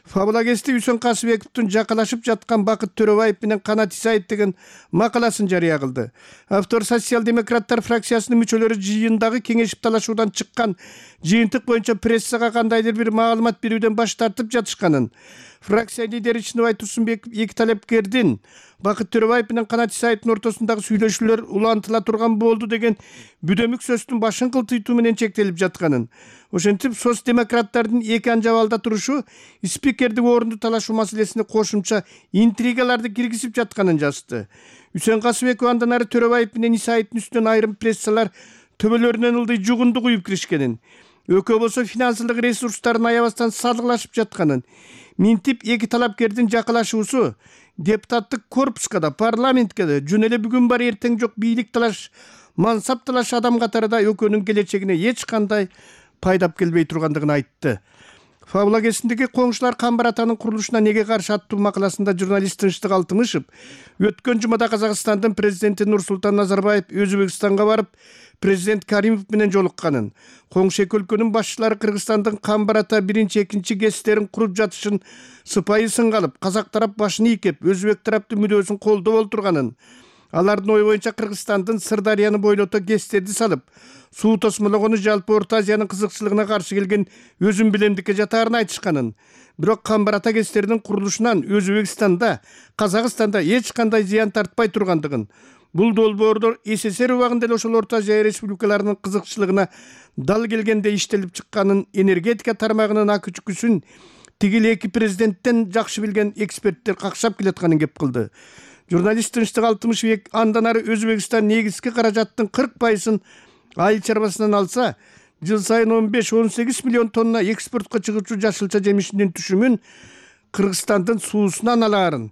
Фабула кести Үсөн Касыбековдун жакалашып жаткан Бакыт Төрөбаев менен Канат Исаев деген макаласын жарыя кылды. Автор социал-демократтар фракциясынын мүчөлөрү жыйындагы кеңешип талашуудан чыккан жыйынтык боюнча прессага кандайдыр бир маалымат берүүдөн баш тартып жатышканын, фракция лидери Чыныбай Турсунбеков эки талапкердин Бакыт Төрөбаев менен Канат Исаевдин ортосундагы сүйлөшүүлөр улантыла турган болду деген бүдөмүк сөздүн башын кылтыйтуу менен чектелип жатканын, ошентип соц-демократтардын эки анжабалда турушу спикердик орунду талашуу маселесине кошумча интригаларды киргизип жатканын жазды. Үсөн Касыбеков андан ары Төрөбаев менен Исаевдин үстүнөн айрым прессалар төбөлөрүнөн ылдый жугунду куюп киришкенин, экөө болсо финансылык ресурстарын аябастан салгылашып жатканын, минтип эки талапкердин жакалашуусу депутаттык корпуска да, парламентке да жөн эле бүгүн бар эртең жок бийлик талаш, мансап талаш адам катарында экөөнүн келечегине эч кандай пайдап келбей тургандыгын айтты. Фабула кесиндеги коңшулар Камбар атанын курулушуна неге каршы аттуу макаласында журналист Тынчтык Алтымышев өткөн жумада Казакстандын президенти Нурсултан Назарбаев Өзбекстанга барып, президент Каримов менен жолукканын, коңшу эки өлкөнүн башчылары Кыргызстандын Камбар ата биринчи экинчи гестерин куруп жатышын сыпайы сынга алып, казак тарап башын ийкеп, өзбек тараптын мүдөөсүн колдоп олтурганын, алардын ою боюнча Кыргызстандын Сырдарыяны бойлото гестерди салып, суу тосмологону жалпы Орто Азиянын кызыкчылыгына каршы келген өзүн билемдикке жатаарын айтышканын, бирок Камбар ата гестердин курулушунан Өзбекстанда, Казакстанда эч кандай зыян тартпай тургандыгын, бул долбоорлор СССР убагында эле ошол Орто Азия республикаларынын кызыкчылыгына дал келгенде иштелип чыкканын, энергетика тармагынын ак үчкүсүн тигил эки президенттен жакшы билген эксперттер какшап келатканын кеп кылды. Журналист Тынчтык Алтымышев андан ары Өзбекстан негизги каражаттын кырк пайызын айыл чарбасынан алса, жыл сайын он беш он сегиз миллион тонна экспортко чыгуучу жашылча жемишинин түшүмүн Кыргызстандын суусунан алаарын,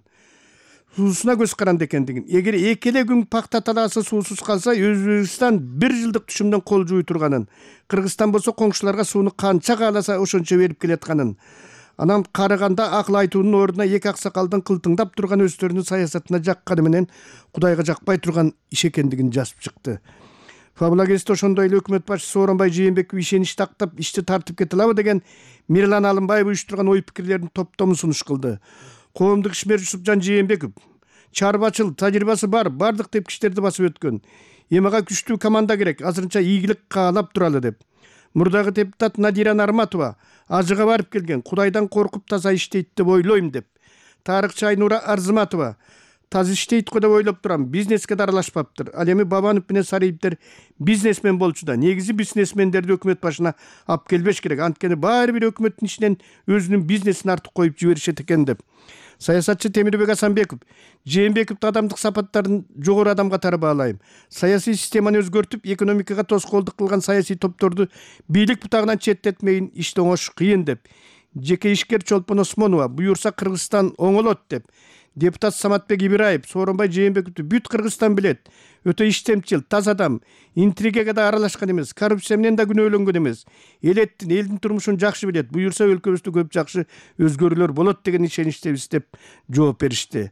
суусуна көз каранды экендигин, эгер эки эле күн пакта талаасы суусуз калса, Өзбекстан бир жылдык түшүмдөн кол жууй турганын, Кыргызстан болсо коңшуларга сууну канча кааласа ошончо берип келатканын, анан карыганда акыл айтуунун ордуна эки аксакалдын кылтыңдап турган өздөрүнүн саясатына жакканы менен Кудайга жакпай турган иш экендигин жазып чыкты. Фабула кезде ошондой эле өкмөт башчысы Сооронбай Жээнбеков ишенич тактап ишти тартып кете алабы деген Мирлан Алымбаев уюштурган ой пикирлердин топтомун сунуш кылды. Коомдук ишмер Жусупжан Жээнбеков чарбачыл, тажрыйбасы бар, бардык тепкичтерди басып өткөн. Эми ага күчтүү команда керек, азырынча ийгилик каалап туралы деп. Мурдагы депутат Надира Нарматова ажыга барып келген, Кудайдан коркуп таза иштейт деп ойлойм деп. Тарыхчы Айнура Арзыматова таза иштейт го деп ойлоп турам, бизнеске да аралашпаптыр. Ал эми Бабанов менен Сариевдер бизнесмен болчу да, негизи бизнесмендерди өкмөт башына алып келбеш керек. Анткени баары бир өкмөттүн ичинен өзүнүн бизнесин артып коюп жиберишет экен деп. Саясатчы Темирбек Асанбеков Жээнбековдун адамдык сапаттарын жогору адам катары баалайм. Саясий системаны өзгөртүп, экономикага тоскоолдук кылган саясий топторду бийлик бутагынан четтетмейин, ишти оңош кыйын деп. Жеке ишкер Чолпон Осмонова буюрса Кыргызстан оңолот деп. Депутат Саматбек Ибраев Сооронбай Жээнбековду бүт Кыргызстан билет. Өтө иштемчил, таза адам, интригага да аралашкан эмес, коррупция менен да күнөөлөнгөн эмес. Элеттин, элдин турмушун жакшы билет. Буюрса өлкөбүздө көп жакшы өзгөрүүлөр болот деген ишеничтебиз деп жооп беришти.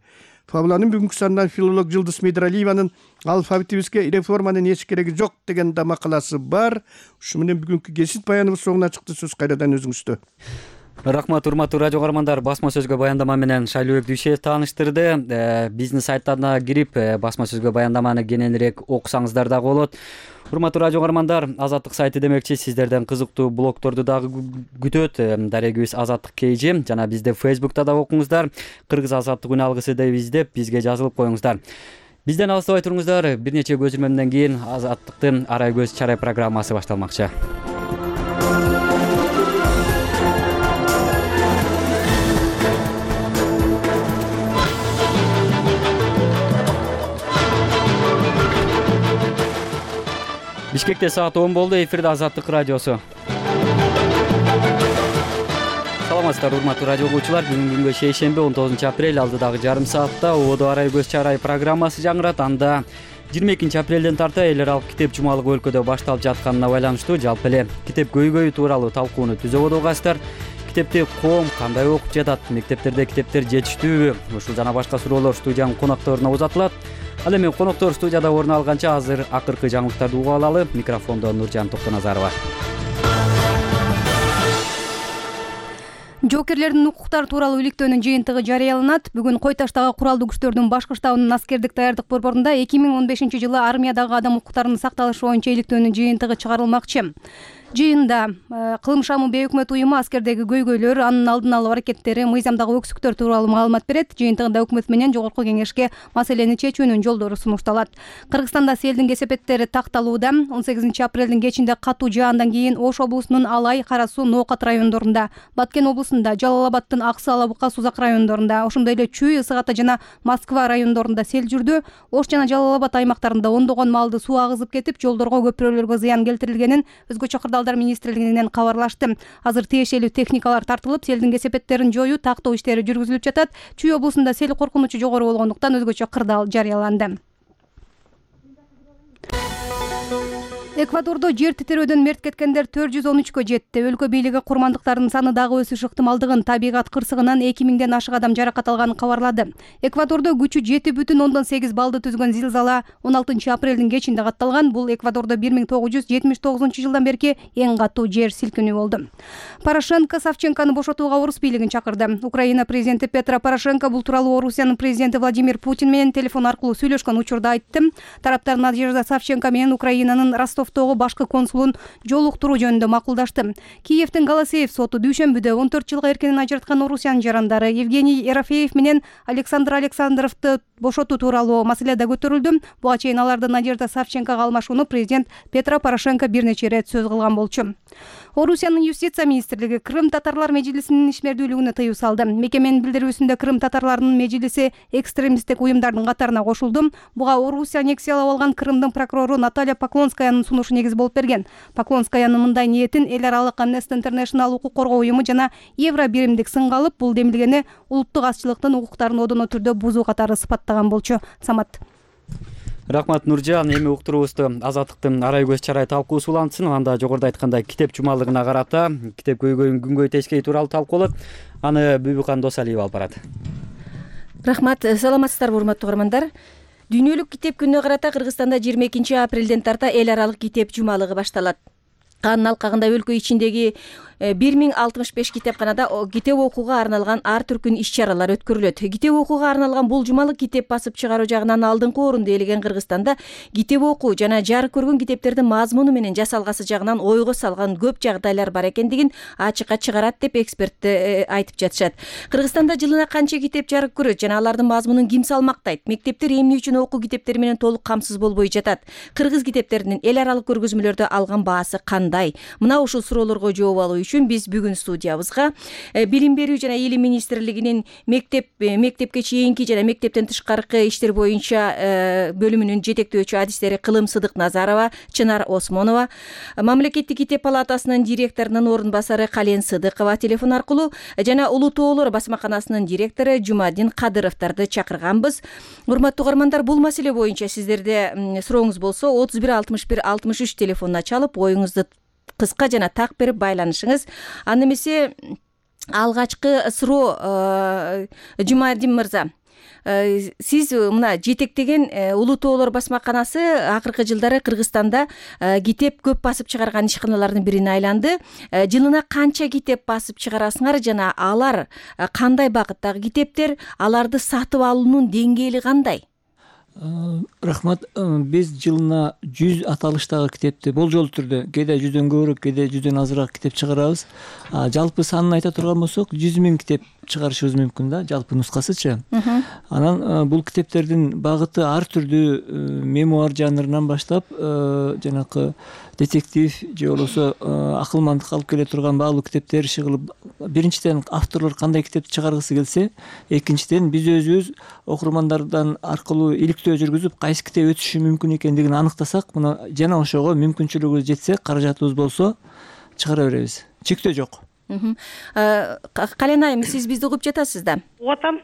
Фабуланын бүгүнкү санынан филолог Жылдыз Медиралиеванын алфавитибизге реформанын эч кереги жок деген да макаласы бар. Ушу менен бүгүнкү кесип баяныбыз соңуна чыкты. Сөз кайрадан өзүңүздө. Рахмат, урматтуу радио каармандар. Басма сөзгө баяндама менен Шайлообек Дүйшөев тааныштырды. Биздин сайттарына кирип басма сөзгө баяндаманы кененирээк окусаңыздар дагы болот. Урматтуу радио каармандар, Азаттык сайты демекчи сиздерден кызыктуу блогторду дагы күтөт. Дарегибиз Азаттык Кейжи жана бизди Фейсбукта да окуңуздар. Кыргыз Азаттык үн алгысы деп издеп бизге жазылып коюңуздар. Бизден алыстабай туруңуздар. Бир нече көзүрмөмдөн кийин Азаттыктын Арай көз чарай программасы башталмакчы. Бишкекте саат он болду. Эфирде Азаттык радиосу. Саламатсыздар, урматтуу радио угуучулар. Бүгүнкү күнгө шейшемби он тогузунчу апрель алдыдагы жарым саатта Ободо Арай көз чарай программасы жаңырат. Анда жыйырма экинчи апрелден тарта эл аралык китеп жумалыгы өлкөдө башталып жатканына байланыштуу жалпы эле китеп көйгөйү тууралуу талкууну түзөп угасыздар. Китепти коом кандай окуп жатат? Мектептерде китептер жетиштүүбү? Ушул жана башка суроолор студиянын конокторуна узатылат. Ал эми коноктор студияда орун алганча азыр акыркы жаңылыктарды угуп алалы. Микрофондо Нуржан Токтоназарова. Жоокерлердин укуктары тууралуу иликтөөнүн жыйынтыгы жарыяланат. Бүгүн Кой Таштагы куралдуу күчтөрдүн башкы штабынын аскердик даярдык борборунда эки миң он бешинчи жылы армиядагы адам укуктарынын сакталышы боюнча иликтөөнүн жыйынтыгы чыгарылмакчы. Жыйында кылым шамы бейөкмөт уюму аскердеги көйгөйлөр, анын алдын алуу аракеттери, мыйзамдагы өксүктөр тууралуу маалымат берет. Жыйынтыгында өкмөт менен жогорку кеңешке маселени чечүүнүн жолдору сунушталат. Кыргызстанда селдин кесепеттери такталууда. он сегизинчи апрелдин кечинде катуу жаандан кийин Ош облусунун Алай, Кара Суу, Ноокат райондорунда, Баткен облусунда, Жалал Абадтын Аксы, Алабука, Сузак райондорунда, ошондой эле Чүй, Ысык Ата жана Москва райондорунда сел жүрдү. Ош жана Жалал Абад аймактарында ондогон малды суу агызып кетип, жолдорго, көпүрөлөргө зыян келтирилгенин өзгөчө кырдаалдар министрлигинен кабарлашты. Азыр тиешелүү техникалар тартылып, селдин кесепеттерин жоюу, тактоо иштери жүргүзүлүп жатат. Чүй облусунда сел коркунучу жогору болгондуктан өзгөчө кырдаал жарыяланды. Эквадордо жер титирөөдөн мерт кеткендер төрт жүз он үчкө жетти. Өлкө бийлиги курмандыктардын саны дагы өсүш ыктымалдыгын, табигат кырсыгынан эки миңден ашык адам жаракат алганын кабарлады. Эквадордо күчү жети бүтүн ондон сегиз баллды түзгөн зилзала он алтынчы апрелдин кечинде катталган. Бул Эквадордо бир миң тогуз жүз жетимиш тогузунчу жылдан берки эң катуу жер силкинүү болду. Порошенко Савченкону бошотууга орус бийлигин чакырды. Украина президенти Петро Порошенко бул тууралуу Орусиянын президенти Владимир Путин менен телефон аркылуу сүйлөшкөн учурда айтты. Тараптар Надежда Савченко менен Украинанын Ростов башкы консулун жолуктуруу жөнүндө макулдашты. Киевдин Голосеев соту дүйшөмбүдө он төрт жылга эркинен ажыраткан Орусиянын жарандары Евгений Ерофеев менен Александр Александровду бошотуу тууралуу маселе да көтөрүлдү. Буга чейин аларды Надежда Савченкого алмашууну президент Петро Порошенко бир нече ирет сөз кылган болчу. Орусиянын юстиция министрлиги Крым татарлар межлисинин ишмердүүлүгүнө тыюу салды. Мекеменин билдирүүсүндө Крым татарларынын межлиси экстремисттик уюмдардын катарына кошулду. Буга Орусия аннексиялап алган Крымдын прокурору Наталья Поклонскаянын сунушу негиз болуп берген. Поклонскаянын мындай ниетин эл аралык Amnesty International укук коргоо уюму жана Евро биримдик сынга алып, бул демилгени улуттук азчылыктын укуктарын одоно түрдө бузуу катары сыпаттаган болчу. Самат. Рахмат, Нуржан. Эми уктуруубузду Азаттыктын Арай көз чарай талкуусу улантсын. Анда жогоруда айткандай китеп жумалыгына карата китеп көйгөйүн күнгөй тескей тууралуу талкуулот. Аны Бүбүкан Досалиева алып барат. Рахмат, саламатсыздарбы урматтуу угармандар. Дүйнөлүк китеп күнүнө карата Кыргызстанда жыйырма экинчи апрелден тарта эл аралык китеп жумалыгы башталат. Анын алкагында өлкө ичиндеги бир миң алтымыш беш китепканада китеп окууга арналган ар түркүн иш-чаралар өткөрүлөт. Китеп окууга арналган бул жумалык китеп басып чыгаруу жагынан алдыңкы орунду ээлеген Кыргызстанда китеп окуу жана жарык көргөн китептердин мазмуну менен жасалгасы жагынан ойго салган көп жагдайлар бар экендигин ачыкка чыгарат деп эксперттер айтып жатышат. Кыргызстанда жылына канча китеп жарык көрөт жана алардын мазмунун ким салмактайт? Мектептер эмне үчүн окуу китептери менен толук камсыз болбой жатат? Кыргыз китептеринин эл аралык көргөзмөлөрдө алган баасы кандай? Мына ушул суроолорго жооп алуу үчүн биз бүгүн студиябызга билим берүү жана илим министрлигинин мектеп мектепке чейинки жана мектептен тышкаркы иштер боюнча бөлүмүнүн жетектөөчү адистери Кылым Сыдык Назарова, Чынар Осмонова, мамлекеттик китеп палатасынын директорунун орун басары Кален Сыдыкова телефон аркылуу жана Улуу Тоолор басмаканасынын директору Жумадин Кадыровдорду чакырганбыз. Урматтуу угармандар, бул маселе боюнча сиздерде сурооңуз болсо отуз бир алтымыш бир алтымыш үч телефонуна чалып оюңузду кыска жана так берип байланышыңыз. Аны эмесе алгачкы суроо Жумадин мырза, сиз мына жетектеген Улуу тоолор басмаканасы акыркы жылдары Кыргызстанда китеп көп басып чыгарган ишканалардын бирине айланды. Жылына канча китеп басып чыгарасыңар жана алар кандай багыттагы китептер, аларды сатып алуунун деңгээли кандай? Рахмат. Биз жылына жүз аталыштагы китепти болжол түрдө, кээде жүздөн көбүрөөк, кээде жүздөн азыраак китеп чыгарабыз. Жалпы санын айта турган болсок, жүз миң китеп чыгарышыбыз мүмкүн да, жалпы нускасычы. Анан бул китептердин багыты ар түрдүү, мемуар жанрынан баштап, жанакы детектив же болбосо акылмандыкка алып келе турган баалуу китептер чыгылып, биринчиден авторлор кандай китепти чыгаргысы келсе, экинчиден биз өзүбүз окурмандардан аркылуу иликтөө жүргүзүп, кайсы китеп өтүшү мүмкүн экендигин аныктасак, мына жана ошого мүмкүнчүлүгүбүз жетсе, каражатыбыз болсо чыгара беребиз. Чектөө жок. Кален айым, сиз бизди угуп жатасыз да? Угуп атам.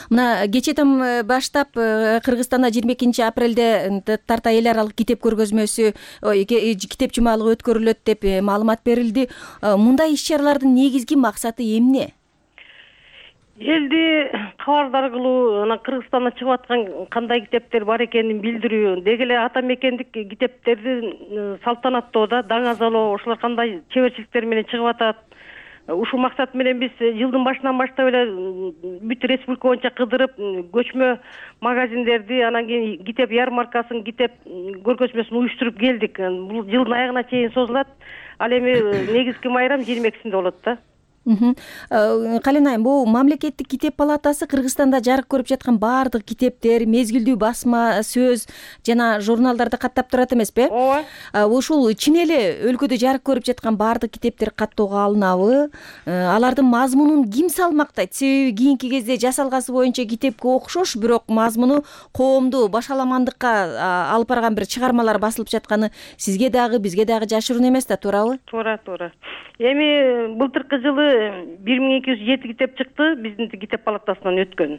Мына кечээден баштап Кыргызстанда жыйырма экинчи апрелде тарта эл аралык китеп көргөзмөсү, китеп жумалыгы өткөрүлөт деп маалымат берилди. Мындай иш-чаралардын негизги максаты эмне? Элди кабардар кылуу, анан Кыргызстанда чыгып аткан кандай китептер бар экенин билдирүү, деги эле ата мекендик китептерди салтанаттоо да, даңазалоо, ошолор кандай чеберчиликтер менен чыгып атат. Ушул максат менен биз жылдын башынан баштап эле бүт республика боюнча кыдырып, көчмө магазиндерди, анан кийин китеп ярмаркасын, китеп көргөзмөсүн уюштуруп келдик. Бул жылдын аягына чейин созулат. Ал эми негизги майрам жыйырма экисинде болот да. Кален айым, бул мамлекеттик китеп палатасы Кыргызстанда жарык көрүп жаткан баардык китептер, мезгилдүү басма, сөз жана журналдарды каттап турат эмеспи? Ооба. Ушул чын эле өлкөдө жарык көрүп жаткан баардык китептер каттоого алынабы? Алардын мазмунун ким салмактайт? Себеби кийинки кезде жасалгасы боюнча китепке окшош, бирок мазмуну коомду башаламандыкка алып барган бир чыгармалар басылып жатканы сизге дагы, бизге дагы жашыруун эмес да, туурабы? Туура, туура. Эми былтыркы жылы бир миң эки жүз жети китеп чыкты, биздин китеп палатасынан өткөн.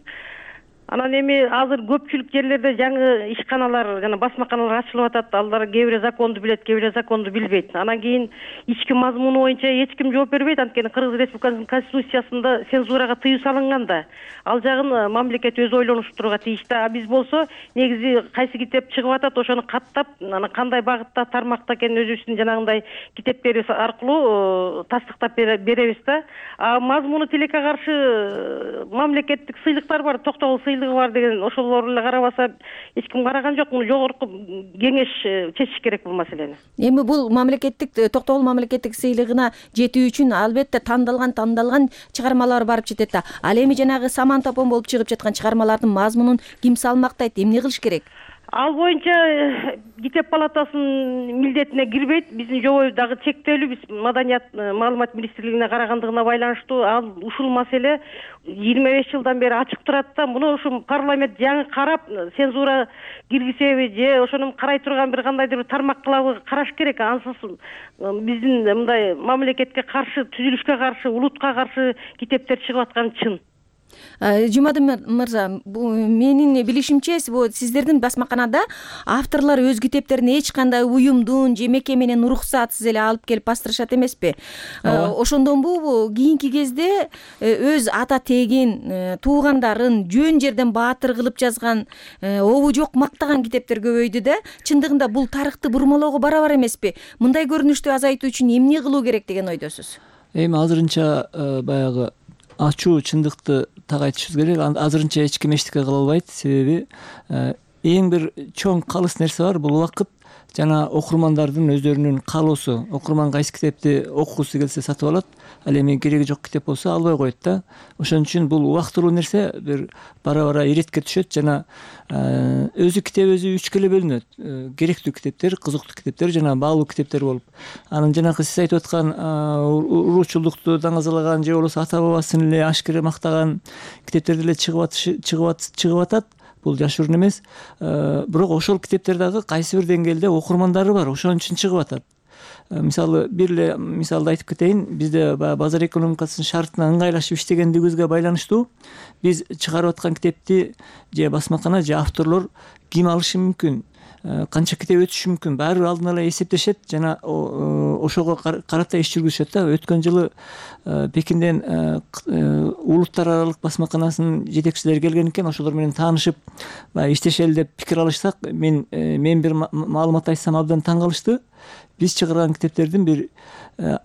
Анан эми азыр көпчүлүк жерлерде жаңы ишканалар жана басмаканалар ачылып атат. Алар кээ бирөө законду билет, кээ бирөө законду билбейт. Анан кийин ички мазмуну боюнча эч ким жооп бербейт. Анткени Кыргыз Республикасынын конституциясында цензурага тыюу салынган да. Ал жагын мамлекет өзү ойлонуштурууга тийиш да. А биз болсо негизи кайсы китеп чыгып атат, ошону каттап, анан кандай багытта, тармакта экенин өзүбүздүн жанагындай китептерибиз аркылуу тастыктап беребиз да. А мазмуну тилекке каршы мамлекеттик сыйлыктар бар, токтогул бар деген, ошолор эле карабаса эч ким караган жок. Муну жогорку кеңеш чечиш керек бул маселени. Эми бул мамлекеттик токтогул мамлекеттик сыйлыгына жетүү үчүн албетте тандалган тандалган чыгармалар барып жетет да. Ал эми жанагы саман топон болуп чыгып жаткан чыгармалардын мазмунун ким салмактайт, эмне кылыш керек? Ал боюнча китеп палатасынын милдетине кирбейт. Биздин жобой дагы чектелүү. Биз Маданият маалымат министрлигине карагандыгына байланыштуу ал ушул маселе жыйырма беш жылдан бери ачык турат да. Муну ушу парламент жаңы карап, цензура киргизеби же ошону карай турган бир кандайдыр бир тармак кылабы караш керек. Ансыз биздин мындай мамлекетке каршы, түзүлүшкө каршы, улутка каршы китептер чыгып атканы чын. Жумадын мырза, менин билишимче, сиздердин басмаканада авторлор өз китептерин эч кандай уюмдун же мекеменин уруксатсыз эле алып келип бастырышат эмеспи? Ошондонбу кийинки кезде өз ата тегин, туугандарын жөн жерден баатыр кылып жазган, обу жок мактаган китептер көбөйдү да. Чындыгында бул тарыхты бурмалоого барабар эмеспи? Мындай көрүнүштү азайтуу үчүн эмне кылуу керек деген ойдосуз? Эми азырынча баягы ачуу чындыкты так айтышыбыз керек. Азырынча эч ким эчтеке кыла албайт. Себеби эң бир чоң калыс нерсе бар, бул убакыт жана окурмандардын өздөрүнүн каалоосу. Окурман кайсы китепти окугусу келсе сатып алат, ал эми кереги жок китеп болсо албай коет да. Ошон үчүн бул убактылуу нерсе бир бара-бара иретке түшөт жана өзү китеп өзү үчкө эле бөлүнөт. Керектүү китептер, кызыктуу китептер жана баалуу китептер болуп. Анан жанагы сиз айтып аткан уруучулукту даңазалаган же болбосо ата бабасын эле ашкере мактаган китептер деле чыгып чыгып атат. Бул жашыруун эмес. Бирок ошол китептер дагы кайсы бир деңгээлде окурмандары бар, ошон үчүн чыгып атат. Мисалы бир эле мисалды айтып кетейин. Бизде базар экономикасынын шартына ыңгайлашып иштегендигибизге байланыштуу биз чыгарып аткан китепти же басмакана же авторлор ким алышы мүмкүн? канча китеп өтүшү мүмкүн, баары бир алдын ала эсептешет жана ошого карата иш жүргүзүшөт да. Өткөн жылы Пекинден улуттар аралык басмаканасынын жетекчилери келген экен, ошолор менен таанышып баягы иштешели деп пикир алышсак, мен мен бир маалымат айтсам абдан таң калышты. Биз чыгарган китептердин бир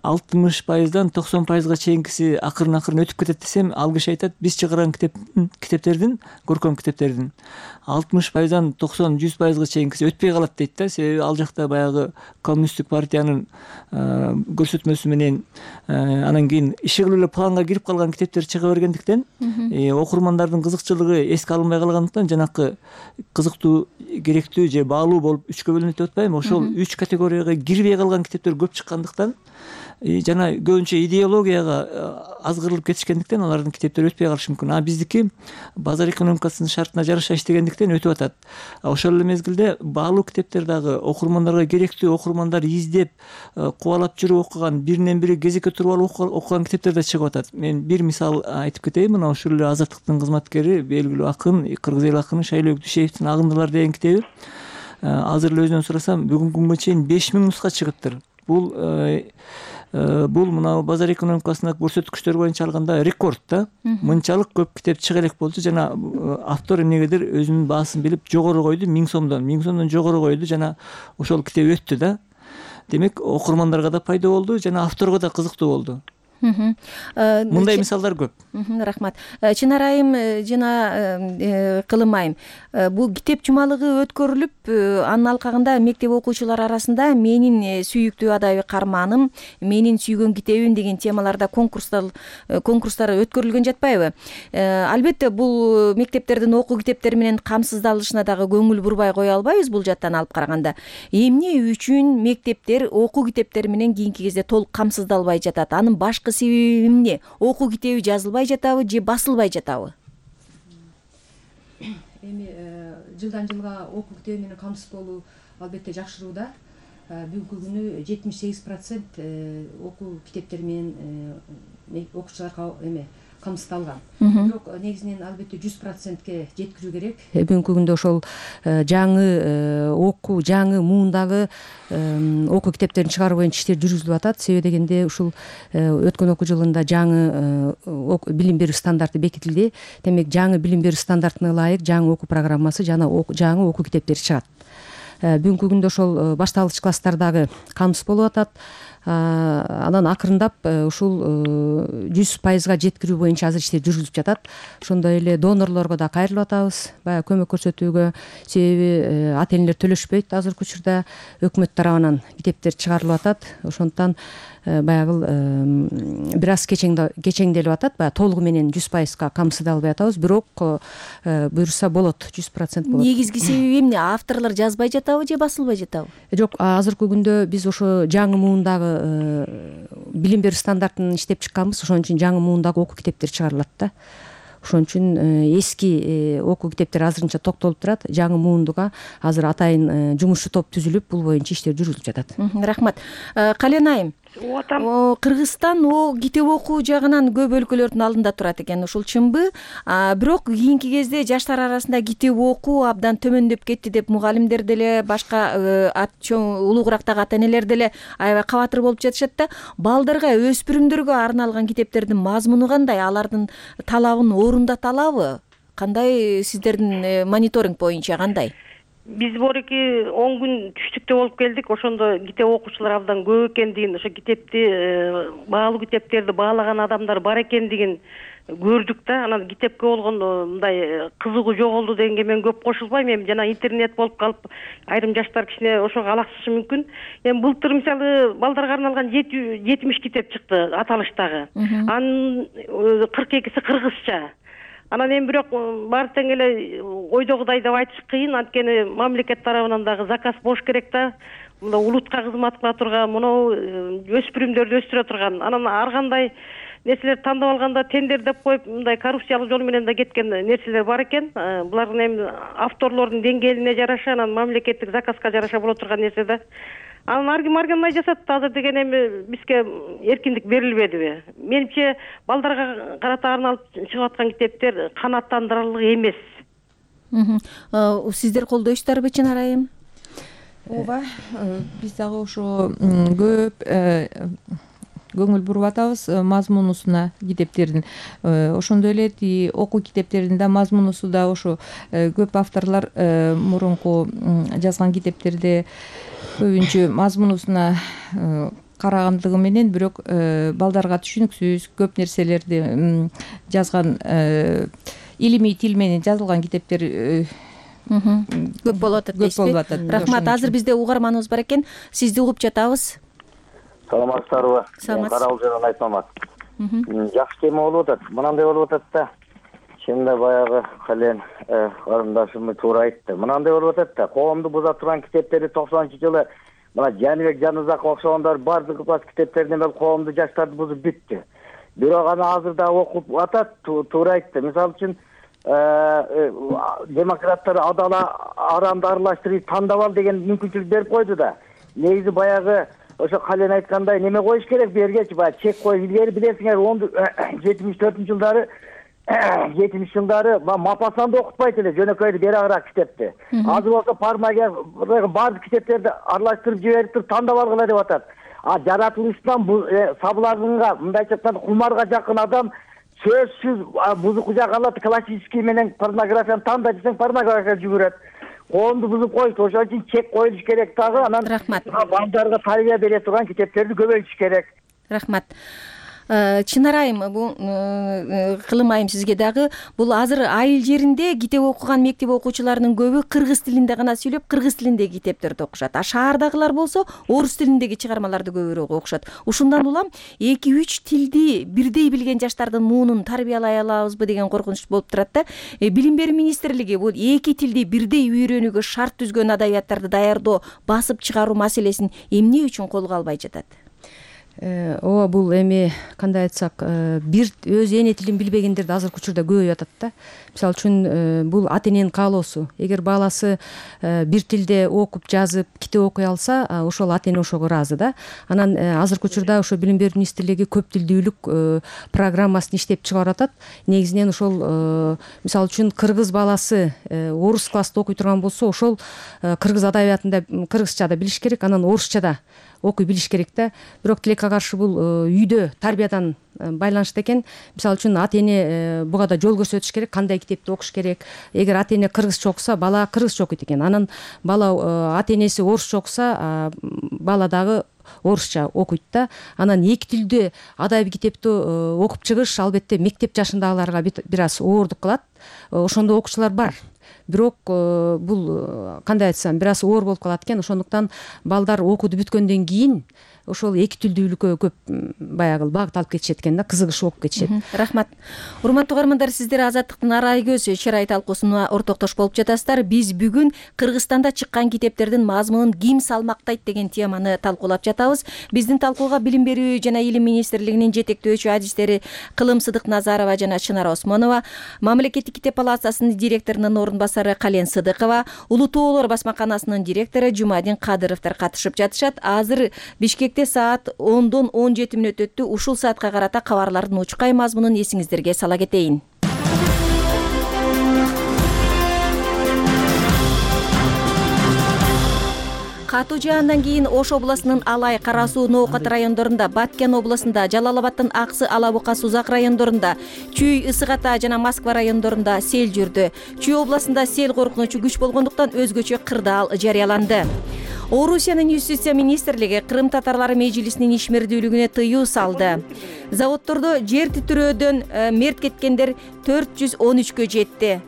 алтымыш пайыздан токсон пайызга чейинкиси акырын акырын өтүп кетет десем, ал киши айтат, биз чыгарган китеп китептердин, көркөм китептердин алтымыш пайыздан токсон жүз пайызга чейинкиси өтпөй калат дейт да. Себеби ал жакта баягы коммунисттик партиянын көрсөтмөсү менен анан кийин иши кылып эле планга кирип калган китептер чыга бергендиктен окурмандардын кызыкчылыгы эске алынбай калгандыктан жанакы кызыктуу, керектүү же баалуу болуп үчкө бөлүнөт деп атпаймынбы, ошол үч категорияга кирбей калган китептер көп чыккандыктан жана көбүнчө идеологияга азгырылып кетишкендиктен алардын китептери өтпөй калышы мүмкүн. А биздики базар экономикасынын шартына жараша иштегендиктен өтүп атат. Ошол эле мезгилде баалуу китептер дагы окурмандарга керектүү, окурмандар издеп кубалап жүрүп окуган, биринен бири кезекке туруп алып окуган китептер да чыгып атат. Мен бир мисал айтып кетейин. Мына ушул эле Азаттыктын кызматкери, белгилүү акын, кыргыз эл акыны Шайлоо Дүйшеевдин Агындылар деген китеби азыр эле өзүнөн сурасам, бүгүнкү күнгө чейин беш миң нуска чыгыптыр. Бул бул мына базар экономикасына көрсөткүчтөр боюнча алганда рекорд да. Мынчалык көп китеп чыга элек болчу, жана автор эмнегедир өзүнүн баасын билип жогору койду, миң сомдон миң сомдон жогору койду, жана ошол китеп өттү да. Демек окурмандарга да пайда болду, жана авторго да кызыктуу болду. Мындай мисалдар көп. Рахмат. Чынар айым жана Кылым айым, бул китеп жумалыгы өткөрүлүп, анын алкагында мектеп окуучулары арасында менин сүйүктүү адабий карманым, менин сүйгөн китебим деген темаларда конкурстар конкурстар өткөрүлгөн жатпайбы? Албетте бул мектептердин окуу китептери менен камсыздалышына дагы көңүл бурбай кое албайбыз бул жаттан алып караганда. Эмне үчүн мектептер окуу китептери менен кийинки кезде толук камсыздалбай жатат? Анын башкы себеби эмне? Окуу китеби жазылбай жатабы же басылбай жатабы? Эми жылдан жылга окуу китеби менен камсыз болуу албетте жакшырууда. Бүгүнкү күнү жетимиш сегиз процент окуу китептери менен окуучуларга эме камсыздалган. Бирок негизинен албетте жүз процентке жеткирүү керек. Бүгүнкү күндө ошол жаңы окуу, жаңы муундагы окуу китептерин чыгаруу боюнча иштер жүргүзүлүп атат. Себеби дегенде ушул өткөн окуу жылында жаңы билим берүү стандарты бекитилди. Демек жаңы билим берүү стандартына ылайык жаңы окуу программасы жана жаңы окуу китептери чыгат. Бүгүнкү күндө ошол башталгыч класстардагы камсыз болуп атат. Анан акырындап ушул жүз пайызга жеткирүү боюнча азыр иштер жүргүзүлүп жатат. Ошондой эле донорлорго да кайрылып атабыз, баягы көмөк көрсөтүүгө. Себеби ата энелер төлөшпөйт азыркы учурда, өкмөт тарабынан китептер чыгарылып атат. Ошондуктан баягы бир аз кечеңделип атат. Баягы толугу менен жүз пайызга камсыздалбай атабыз, бирок буюрса болот, жүз процент болот. Негизги себеби эмне? Авторлор жазбай жатабы же басылбай жатабы? Жок, азыркы күндө биз ошо жаңы муундагы билим берүү стандартын иштеп чыкканбыз. Ошон үчүн жаңы муундагы окуу китептер чыгарылат да. Ошон үчүн эски окуу китептер азырынча токтолуп турат. Жаңы муундуга азыр атайын жумушчу топ түзүлүп, бул боюнча иштер жүргүзүлүп жатат. Рахмат. Кален айым, Кыргызстан о китеп окуу жагынан көп өлкөлөрдүн алдында турат экен, ушул чынбы? Бирок кийинки кезде жаштар арасында китеп окуу абдан төмөндөп кетти деп мугалимдер деле, башка улуугурактагы ата энелер деле аябай кабатыр болуп жатышат да. Балдарга, өспүрүмдөргө арналган китептердин мазмуну кандай? Алардын талабын орундата алабы? Кандай сиздердин мониторинг боюнча кандай? Биз борки он күн түштүктө болуп келдик. Ошондо китеп окуучулар абдан көп экендигин, ошо китепти баалуу китептерди баалаган адамдар бар экендигин көрдүк да. Анан китепке болгон мындай кызыгуу жоголду дегенге мен көп кошулбайм. Эми жана интернет болуп калып, айрым жаштар кичине ошого алаксышы мүмкүн. Эми былтыр мисалы балдарга арналган жетимиш китеп чыкты аталыштагы. Анын кырк экиси кыргызча. Анан эми бирок баары тең эле ойдогудай деп айтыш кыйын, анткени мамлекет тарабынан дагы заказ бош керек да. Мына улутка кызмат кыла турган, мынау өспүрүмдөрдү өстүрө турган. Анан ар кандай нерселер тандап алганда тендер деп коюп, мындай коррупциялык жол менен да кеткен нерселер бар экен. Булардын эми авторлордун деңгээлине жараша, анан мамлекеттик заказга жараша боло турган нерсе да. Анан арким аргандай жасат. Азыр деген эми бизге эркиндик берилбедиби? Менимче балдарга карата арналып чыгып аткан китептер канааттандырарлык эмес. Сиздер колдойсуздарбы, Чынар айым? ооба, биз дагы ошо көп көңүл буруп атабыз мазмунусуна китептердин. Ошондой эле тиги окуу китептеринин да мазмунусу да ошо көп авторлор мурунку жазган китептерде көбүнчө мазмунусуна карагандыгы менен бирок балдарга түшүнүксүз көп нерселерди жазган, илимий тил менен жазылган китептер көп болуп атат дейсизби? Рахмат. Азыр бизде угарманыбыз бар экен. Сизди угуп жатабыз. Саламатсыздарбы? Саламатсыз. Каралжан Айтмамат. Жакшы тема болуп атат. Мынандай болуп атат да. Чынында баягы Кален карындашым туура айтты. Мынандай болуп атат да. Коомду буза турган китептерди токсонунчу жылы мына Жаныбек Жанызаков окшогондор бардыгы бас китептеринен бери коомду жаштарды бузуп бүттү. Бирок аны азыр да окуп атат, туура айтты. Мисалы үчүн демократтар адала арамды аралаштырып тандап ал деген мүмкүнчүлүк берип койду да. Негизи баягы ошо Кален айткандай неме коюш керек бергечи, баягы чек коюп илгери билесиңер жетимиш төртүнчү жылдары жетимиш жылдары Мапасан да окутпайт эле жөнөкөйдү берагыраак китепти. Азыр болсо пармага баардык китептерди аралаштырып жиберип туруп тандап алгыла деп атат. А жаратылыштан сабыларынга мындайча айтканда кумарга жакын адам сөзсүз музыка жагы алат, классический менен порнографияны танда десең порнография жүгүрөт. Коомду бузуп коюшту, ошон үчүн чек коюлуш керек дагы. Анан балдарга тарбия бере турган китептерди көбөйтүш керек. Рахмат. Чынар айым, бул Кылым айым сизге дагы, бул азыр айыл жеринде китеп окуган мектеп окуучуларынын көбү кыргыз тилинде гана сүйлөп, кыргыз тилиндеги китептерди окушат. А шаардагылар болсо орус тилиндеги чыгармаларды көбүрөөк окушат. Ушундан улам эки үч тилди бирдей билген жаштардын муунун тарбиялай алабызбы деген коркунуч болуп турат да. Билим берүү министрлиги бул эки тилди бирдей үйрөнүүгө шарт түзгөн адабияттарды даярдоо, басып чыгаруу маселесин эмне үчүн колго албай жатат? Ооба, бул эми кандай айтсак, бир өз эне тилин билбегендерди азыркы учурда көбөйүп атат да. Мисалы үчүн бул ата эненин каалоосу. Эгер баласы бир тилде окуп, жазып, китеп окуй алса, ошол ата эне ошого ыраазы да. Анан азыркы учурда ошо Билим берүү министрлиги көп тилдүүлүк программасын иштеп чыгарып атат. Негизинен ошол мисалы үчүн кыргыз баласы орус класста окуй турган болсо, ошол кыргыз адабиятында кыргызча да билиш керек, анан орусча да окуй билиш керек да. Бирок тилекке каршы бул үйдө тарбиядан байланыштуу экен. Мисалы үчүн ата эне буга да жол көрсөтүш керек, кандай китепти окуш керек. Эгер ата эне кыргызча окуса, бала кыргызча окуйт экен. Анан бала ата энеси орусча окуса, бала дагы орусча окуйт да. Анан эки тилде адабий китепти окуп чыгыш албетте мектеп жашындагыларга бир аз оордук кылат. Ошондой окуучулар бар. Бирок бул кандай айтсам, бир аз оор болуп калат экен. Ошондуктан балдар окууду бүткөндөн кийин ошол эки тилдүүлүккө көп баягы багыт алып кетишет экен да, кызыгышып окуп кетишет. Рахмат. Урматтуу угармандар, сиздер Азаттыктын арай көз чырай талкуусуна ортоктош болуп жатасыздар. Биз бүгүн Кыргызстанда чыккан китептердин мазмунун ким салмактайт деген теманы талкуулап жатабыз. Биздин талкууга Билим берүү жана Илим министрлигинин жетектөөчү адистери Кылым Сыдыкназарова жана Чынар Осмонова, Мамлекеттик китеп палатасынын директорунун орун басары Кален Сыдыкова, Улуу Тоолор басмаканасынын директору Жумадин Кадыровдор катышып жатышат. Азыр Бишкек саат ондон он жети мүнөт өттү. Ушул саатка карата кабарлардын учкай мазмунун эсиңиздерге сала кетейин. Катуу жаандан кийин Ош областынын Алай, Кара Суу, Ноокат райондорунда, Баткен областында, Жалал-Абадтын Аксы, Алабука, Сузак райондорунда, Чүй, Ысык Ата жана Москва райондорунда сел жүрдү. Чүй областында сел коркунучу күч болгондуктан өзгөчө кырдаал жарыяланды. Орусиянын юстиция министрлиги Кырым татарлары мejlisинин ишмердүүлүгүнө тыюу салды. Заводдордо жер титирөөдөн мерт кеткендер төрт жүз он үчкө жетти.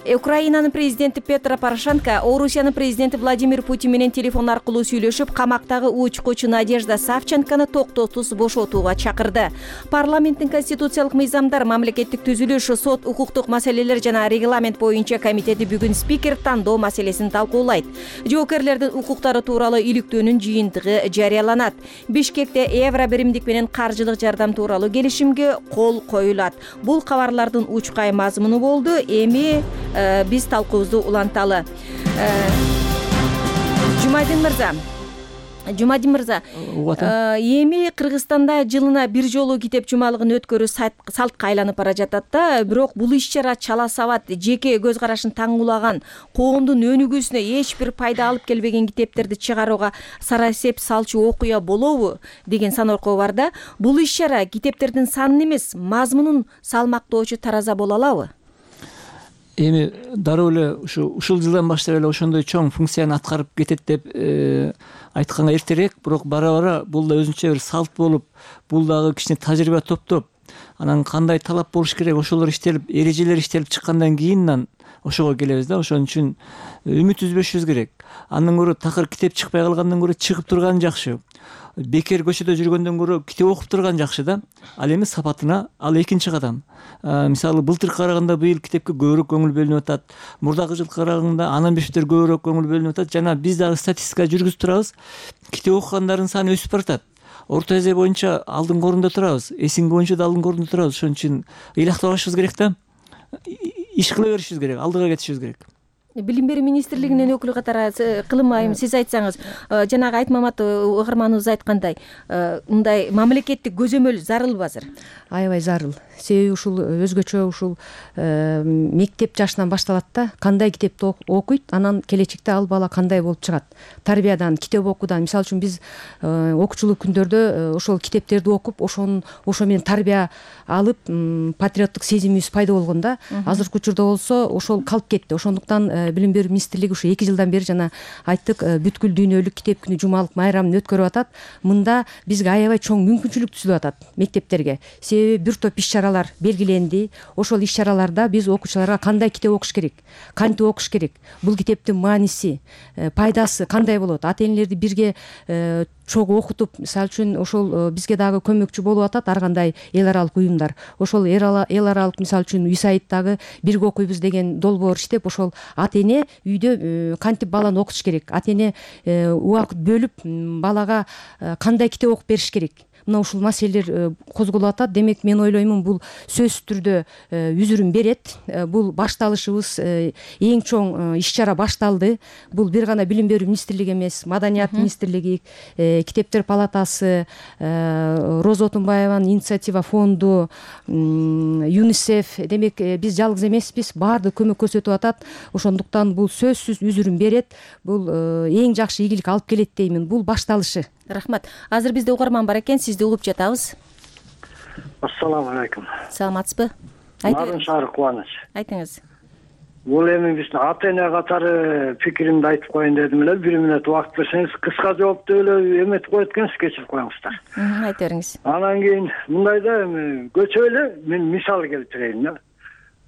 Украинанын президенти Петро Порошенко Орусиянын президенти Владимир Путин менен телефон аркылуу сүйлөшүп, камактагы учкучу Надежда Савченкону токтотусуз бошотууга чакырды. Парламенттин конституциялык мыйзамдар, мамлекеттик түзүлүш, сот, укуктук маселелер жана регламент боюнча комитети бүгүн спикер тандоо маселесин талкуулайт. Жоокерлердин укуктары тууралуу иликтөөнүн жыйынтыгы жарыяланат. Бишкекте евро биримдик менен каржылык жардам тууралуу келишимге кол коюлат. Бул кабарлардын учкай мазмуну болду. Эми биз талкуубузду уланталы. Жумадин мырза, Жумадин мырза, эми Кыргызстанда жылына бир жолу китеп жумалыгын өткөрүү салтка айланып бара жатат да, бирок бул иш-чара чала сабат, жеке көз карашын таңуулаган, коомдун өнүгүүсүнө эч бир пайда алып келбеген китептерди чыгарууга сарасеп салчу окуя болобу деген саноркоо бар да. Бул иш-чара китептердин санын эмес, мазмунун салмактоочу тараза боло алабы? Эми дароо эле ушу ушул жылдан баштап эле ошондой чоң функцияны аткарып кетет деп айтканга эртерээк, бирок бара бара бул да өзүнчө бир салт болуп, бул дагы кичине тажрыйба топтоп, анан кандай талап болуш керек, ошолор иштелип, эрежелер иштелип чыккандан кийин ошого келебиз да. Ошон үчүн үмүт үзбөшүбүз керек. Андан көрө такыр китеп чыкпай калгандан көрө чыгып турган жакшы. Бекер көчөдө жүргөндөн көрө китеп окуп турган жакшы да. Ал эми сапатына ал экинчи кадам. Мисалы былтыркы караганда быйыл китепке көбүрөөк көңүл бөлүнүп атат. Мурдагы жылкы караганда анан бештер көбүрөөк көңүл бөлүнүп атат. Жана биз дагы статистика жүргүзүп турабыз. Китеп окугандардын саны өсүп баратат. Орто эзе боюнча алдыңкы орунда турабыз. Эсинги боюнча да алдыңкы орунда турабыз. Ошон үчүн ыйлактабашыбыз керек да. Иш кыла беришибиз керек, алдыга кетишибиз керек. Билим берүү министрлигинин өкүлү катары Кылым айым, сиз айтсаңыз, жанагы Айтмамат угарманыбыз айткандай, мындай мамлекеттик көзөмөл зарылбы азыр? Аябай зарыл. Себеби ушул өзгөчө ушул мектеп жашынан башталат да. Кандай китепти окуйт, анан келечекте ал бала кандай болуп чыгат. Тарбиядан, китеп окуудан, мисалы үчүн биз окуучулук күндөрдө ошол китептерди окуп, ошон ошо менен тарбия алып, патриоттук сезимибиз пайда болгон да. Азыркы учурда болсо ошол калып кетти. Ошондуктан билим берүү министрлиги ушу эки жылдан бери жана айттык, бүткүл дүйнөлүк китеп күнү жумалык майрамын өткөрүп атат. Мында бизге аябай чоң мүмкүнчүлүк түзүлүп атат мектептерге. Себеби бир топ иш-чаралар белгиленди. Ошол иш-чараларда биз окуучуларга кандай китеп окуш керек, кантип окуш керек, бул китептин мааниси, пайдасы кандай болот, ата-энелерди бирге чогуу окутуп, мисалы үчүн ошол бизге дагы көмөкчү болуп атат ар кандай эл аралык уюмдар. Ошол эл аралык мисалы үчүн ЮСАИДтагы бирге окуйбуз деген долбоор иштеп, ошол ата-эне үйдө кантип баланы окутуш керек, ата-эне убакыт бөлүп балага кандай китеп окуп бериш керек. Мына ушул маселелер козголуп атат. Демек мен ойлоймун, бул сөзсүз түрдө үзүрүн берет. Бул башталышыбыз, эң чоң иш-чара башталды. Бул бир гана билим берүү министрлиги эмес, маданият министрлиги, китептер палатасы, Роза Отунбаеванын инициатива фонду, ЮНИСЕФ, демек биз жалгыз эмеспиз, баардык көмөк көрсөтүп атат. Ошондуктан бул сөзсүз үзүрүн берет. Бул эң жакшы ийгилик алып келет деймин. Бул башталышы. Рахмат. Азыр бизде угарман бар экен, сизди угуп жатабыз. Ассаламу алейкум. Саламатсызбы? Нарын шаары Кубаныч. Айтыңыз. Бул эми биздин ата-эне катары пикиримди айтып коеюн дедим эле. Бир мүнөт убакыт берсеңиз, кыска жоопту эле эметип коет экенсиз, кечирип коюңуздар. Айта бериңиз. Анан кийин мындай да, эми көчө эле мен мисал келтирейин да.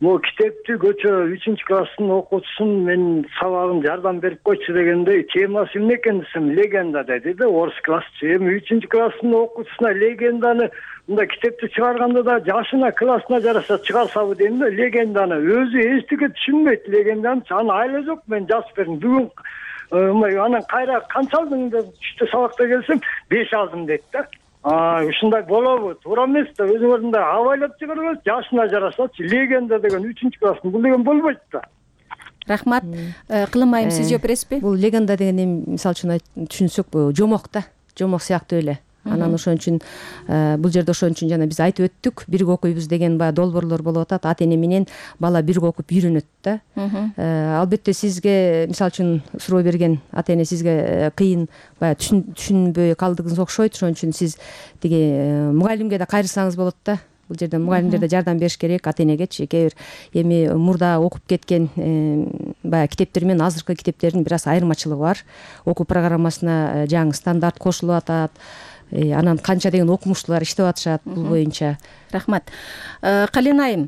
Могу китепти көчө үчүнчү класстын окуучусун мен сабагын жардам берип койчу дегенде, темасы эмне экен десем, легенда деди да, орыс классчы. Эми үчүнчү класстын окуучусуна легенданы мындай китепти чыгарганда да жашына, классына жараша чыгарсабы дейм да. Легенданы өзү эчтеке түшүнбөйт, легенданы аны айла жок, мен жазып бердим. Бүгүн анан кайра канча алдың деп түштө сабакта келсем, беш алдым дейт да. А, ушундай болобу? Туура эмес да. Өзүңөрдүн да абайлап чыгарыңыз, жашына жарашачы. Легенда деген үчүнчү класстын бул деген болбойт да. Рахмат. Кылым айым, сиз жооп бересизби? Бул легенда деген эми мисалы үчүн түшүнсөк, жомок да. Жомок сыяктуу эле. Анан ошон үчүн бул жерде ошон үчүн жана биз айтып өттүк, бирге окуйбуз деген баягы долбоорлор болуп атат. Ата-эне менен бала бирге окуп үйрөнөт да. Албетте сизге мисалы үчүн суроо берген ата-эне сизге кыйын баягы түшүнбөй калдыгыңыз окшойт. Ошон үчүн сиз тиги мугалимге да кайрылсаңыз болот да. Бул жерде мугалимдер да жардам бериш керек ата-энегечи. Кээ бир эми мурда окуп кеткен баягы китептер менен азыркы китептердин бир аз айырмачылыгы бар. Окуу программасына жаңы стандарт кошулуп атат. Анан канча деген окумуштуулар иштеп атышат бул боюнча. Рахмат. Кален айым,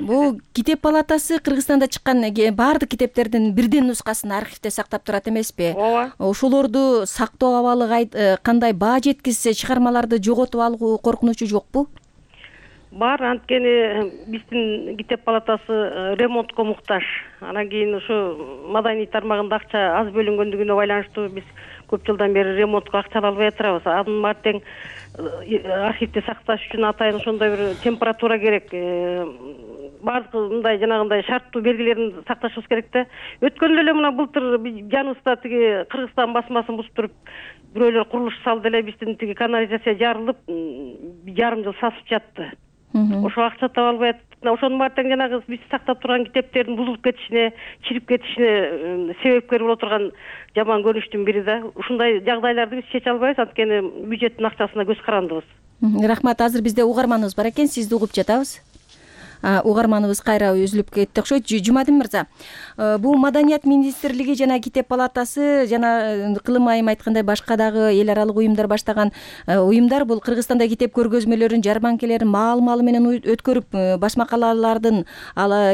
бул китеп палатасы Кыргызстанда чыккан баардык китептердин бирден нускасын архивде сактап турат эмеспи? Ооба. Ошолорду сактоо абалы кандай, баа жеткизсе чыгармаларды жоготуп алуу коркунучу жокпу? Бар, анткени биздин китеп палатасы ремонтко муктаж. Анан кийин ушу маданий тармагында акча аз бөлүнгөндүгүнө байланыштуу биз көп жылдан бери ремонтко акча албай атабыз. Анын мартең архивде сакташ үчүн атайын ошондой бир температура керек. баардык мындай жанагындай шарттуу белгилерин сакташыбыз керек да. Өткөндө эле мына былтыр жаныбызда тиги Кыргызстан басмасын бузуп туруп бирөөлөр курулуш салды эле, биздин тиги канализация жарылып жарым жыл сасып жатты. Ошо акча таба албай атып, ошонун баары тең жанагы биз сактап турган китептердин бузулуп кетишине, чирип кетишине себепкер боло турган жаман көрүнүштүн бири да. Ушундай жагдайларды биз чече албайбыз, анткени бюджеттин акчасына көз карандыбыз. Рахмат. Азыр бизде угарманыбыз бар экен, сизди угуп жатабыз. Угарманыбыз кайра үзүлүп кетти окшойт. Жумадин мырза, бул Маданият министрлиги жана Китеп палатасы жана Кылым айым айткандай башка дагы эл аралык уюмдар баштаган уюмдар бул Кыргызстанда китеп көргөзмөлөрүн, жарманкелерин маал-маалы менен өткөрүп, басмакалалардын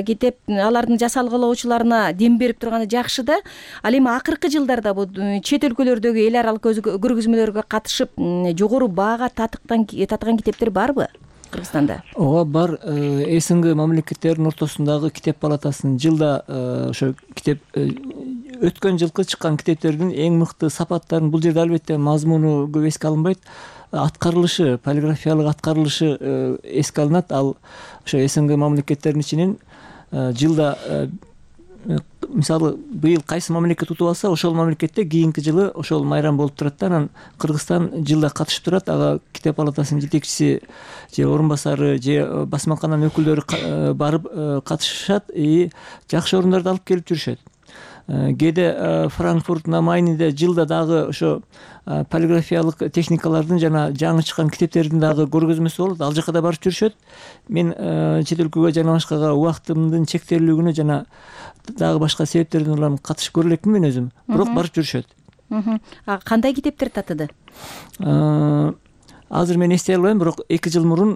китеп алардын жасалгылоочуларына дем берип турганы жакшы да. Ал эми акыркы жылдарда бул чет өлкөлөрдөгү эл аралык көргөзмөлөргө катышып, жогору баага татыккан китептер барбы Кыргызстанда? Ооба, бар. СНГ мамлекеттеринин ортосундагы Китеп палатасынын жылда ошо китеп өткөн жылкы чыккан китептердин эң мыкты сапаттарын, бул жерде албетте мазмуну көп эске алынбайт, аткарылышы, полиграфиялык аткарылышы эске алынат. Ал ошо СНГ мамлекеттеринин ичинен жылда мисалы быйыл кайсы мамлекет утуп алса, ошол мамлекетте кийинки жылы ошол майрам болуп турат да. Анан Кыргызстан жылда катышып турат. Ага Китеп палатасынын жетекчиси же орун басары же басмакананын өкүлдөрү барып катышышат и жакшы орундарда алып келип жүрүшөт. Кээде Франкфурт на Майниде жылда дагы ошо полиграфиялык техникалардын жана жаңы чыккан китептердин дагы көргөзмөсү болот. Ал жака да барып жүрүшөт. Мен чет өлкөгө жана башкага убактымдын чектелүүлүгүнө жана дагы башка себептерден улам катышып көрө элекмин мен өзүм. Бирок барып жүрүшөт. Кандай китептер татыды? Азыр мен эстей албайм, бирок эки жыл мурун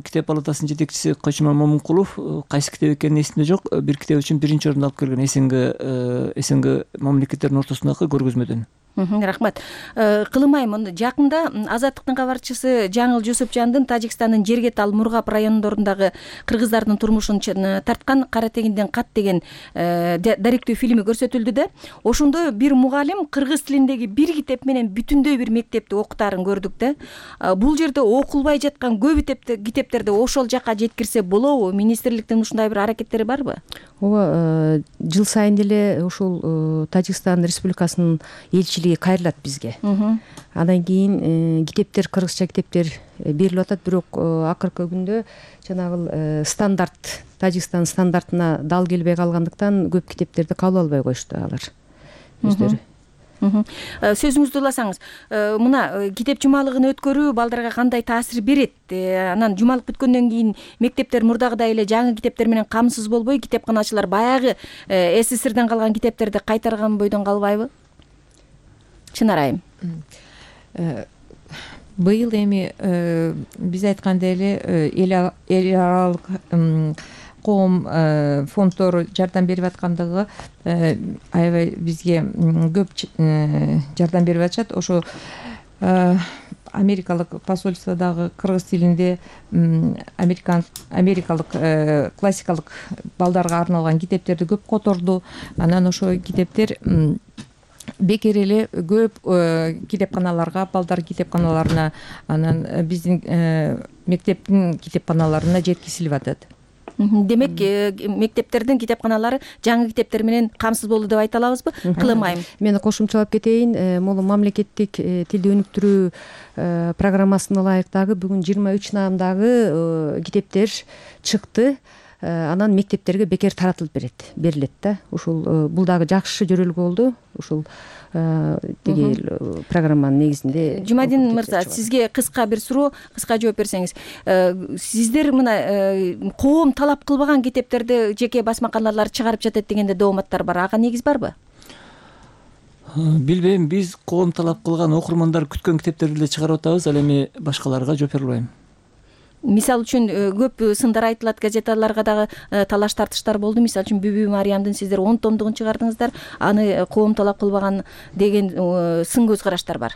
Китеп палатасынын жетекчиси Койчуман Момункулов кайсы китеп экени эсимде жок, бир китеп үчүн биринчи орунду алып келген СНГ СНГ мамлекеттеринин ортосундагы көргөзмөдөн. Рахмат. Кылым айым, жакында Азаттыктын кабарчысы Жаңыл Жусупжандын Тажикстандын Жергет ал Мургап райондорундагы кыргыздардын турмушун тарткан Кара тегинден кат деген даректүү фильми көрсөтүлдү да. Ошондо бир мугалим кыргыз тилиндеги бир китеп менен бүтүндөй бир мектепти окутаарын көрдүк да. Бул жерде окулбай жаткан көп китептерди ошол жака жеткирсе болобу? Министрликтин ушундай бир аракеттери барбы? Ооба, жыл сайын эле ушул Тажикстан Республикасынын элчилиги кайрылат бизге. Андан кийин китептер, кыргызча китептер берилип атат, бирок акыркы күндө жанагы стандарт, Тажикстан стандартына дал келбей калгандыктан көп китептерди кабыл албай коюшту алар өздөрү. Сөзүңүздү уласаңыз, мына китеп жумалыгын өткөрүү балдарга кандай таасир берет? Анан жумалык бүткөндөн кийин мектептер мурдагыдай эле жаңы китептер менен камсыз болбой, китепканачылар баягы СССРден калган китептерди кайтарган бойдон калбайбы? Чынар айым. Быйыл эми биз айткандай эле эл аралык коом фонддору жардам берип аткандыгы аябай бизге көп жардам берип атышат. Ошо америкалык посольстводагы кыргыз тилинде америкалык классикалык балдарга арналган китептерди көп которду. Анан ошо китептер бекер эле көп китепканаларга, балдар китепканаларына, анан биздин мектептин китепканаларына жеткизилип атат. Демек, мектептердин китепканалары жаңы китептер менен камсыз болду деп айта алабызбы? Кылым айым. Мен кошумчалап кетейин. Могу мамлекеттик тилди өнүктүрүү программасына ылайык дагы бүгүн жыйырма үч наамдагы китептер чыкты. Анан мектептерге бекер таратылып берет, берилет да. Ушул бул дагы жакшы жөрөлгө болду. Ушул тиги программанын негизинде. Жумадин мырза, сизге кыска бир суроо, кыска жооп берсеңиз. Сиздер мына коом талап кылбаган китептерди жеке басмаканалар чыгарып жатат дегенде дооматтар бар. Ага негиз барбы? Билбейм, биз коом талап кылган, окурмандар күткөн китептерди эле чыгарып атабыз, ал эми башкаларга жооп бере албайм. Мисал үчүн көп сындар айтылат, газеталарга дагы талаш тартыштар болду. Мисал үчүн Бүбү Мариямдын сиздер он томдугун чыгардыңыздар, аны коом талап кылбаган деген сын көз караштар бар.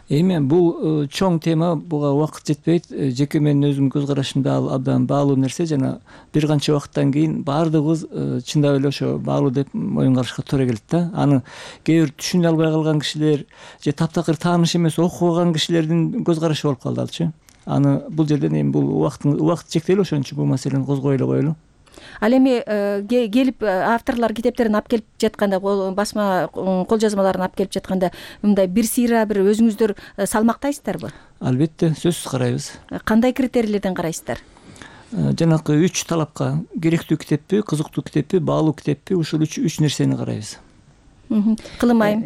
Эми бул чоң тема, буга убакыт жетпейт. Жеке менин өзүмдүн көз карашымда ал абдан баалуу нерсе, жана бир канча убакыттан кийин баардыгыбыз чындап эле ошо баалуу деп моюнга алышка туура келет да. Аны кээ бир түшүнө албай калган кишилер же таптакыр тааныш эмес окубаган кишилердин көз карашы болуп калды алчы. Аны бул жерден эми бул убакыт убакыт чектелүү, ошон үчүн бул маселени козгой эле коелу. Ал эми келип авторлор китептерин алып келип жатканда, басма кол жазмаларын алып келип жатканда, мындай бир сыйра бир өзүңүздөр салмактайсыздарбы? Албетте, сөзсүз карайбыз. Кандай критерийлерден карайсыздар? Жанакы үч талапка: керектүү китеппи, кызыктуу китеппи, баалуу китеппи, ушул үч үч нерсени карайбыз. Кылым айым.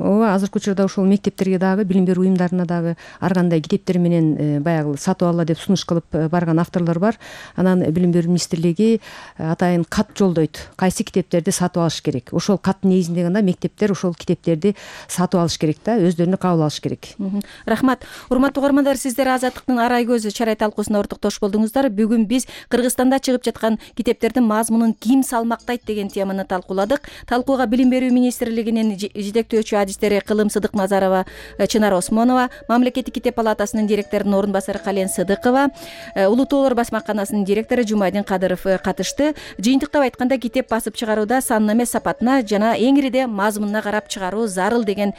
Ооба, азыркы учурда ошол мектептерге дагы, билим берүү уюмдарына дагы ар кандай китептер менен баягы сатып алла деп сунуш кылып барган авторлор бар. Анан билим берүү министрлиги атайын кат жолдойт, кайсы китептерди сатып алыш керек. Ошол каттын негизинде гана мектептер ошол китептерди сатып алыш керек да, өздөрүнө кабыл алыш керек. Рахмат. Урматтуу угармандар, сиздер Азаттыктын Арай көзү чарай талкуусуна ортоктош болдуңуздар. Бүгүн биз Кыргызстанда чыгып жаткан китептердин мазмунун ким салмактайт деген теманы талкууладык. Талкууга билим берүү министрлигинин жетектөөчү адистери Кылым Сыдыкназарова, Чынар Осмонова, Мамлекеттик китеп палатасынын директорунун орун басары Кален Сыдыкова, Улуу Тоолор басмаканасынын директору Жумайдин Кадыров катышты. Жыйынтыктап айтканда, китеп басып чыгарууда санына эмес сапатына жана эң ириде мазмунуна карап чыгаруу зарыл деген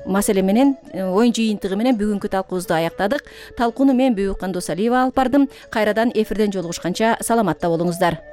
маселе менен, оюн жыйынтыгы менен бүгүнкү талкуубузду аяктадык. Талкууну мен Бүбүккан Досалиева алып бардым. Кайрадан эфирден жолугушканча саламатта болуңуздар.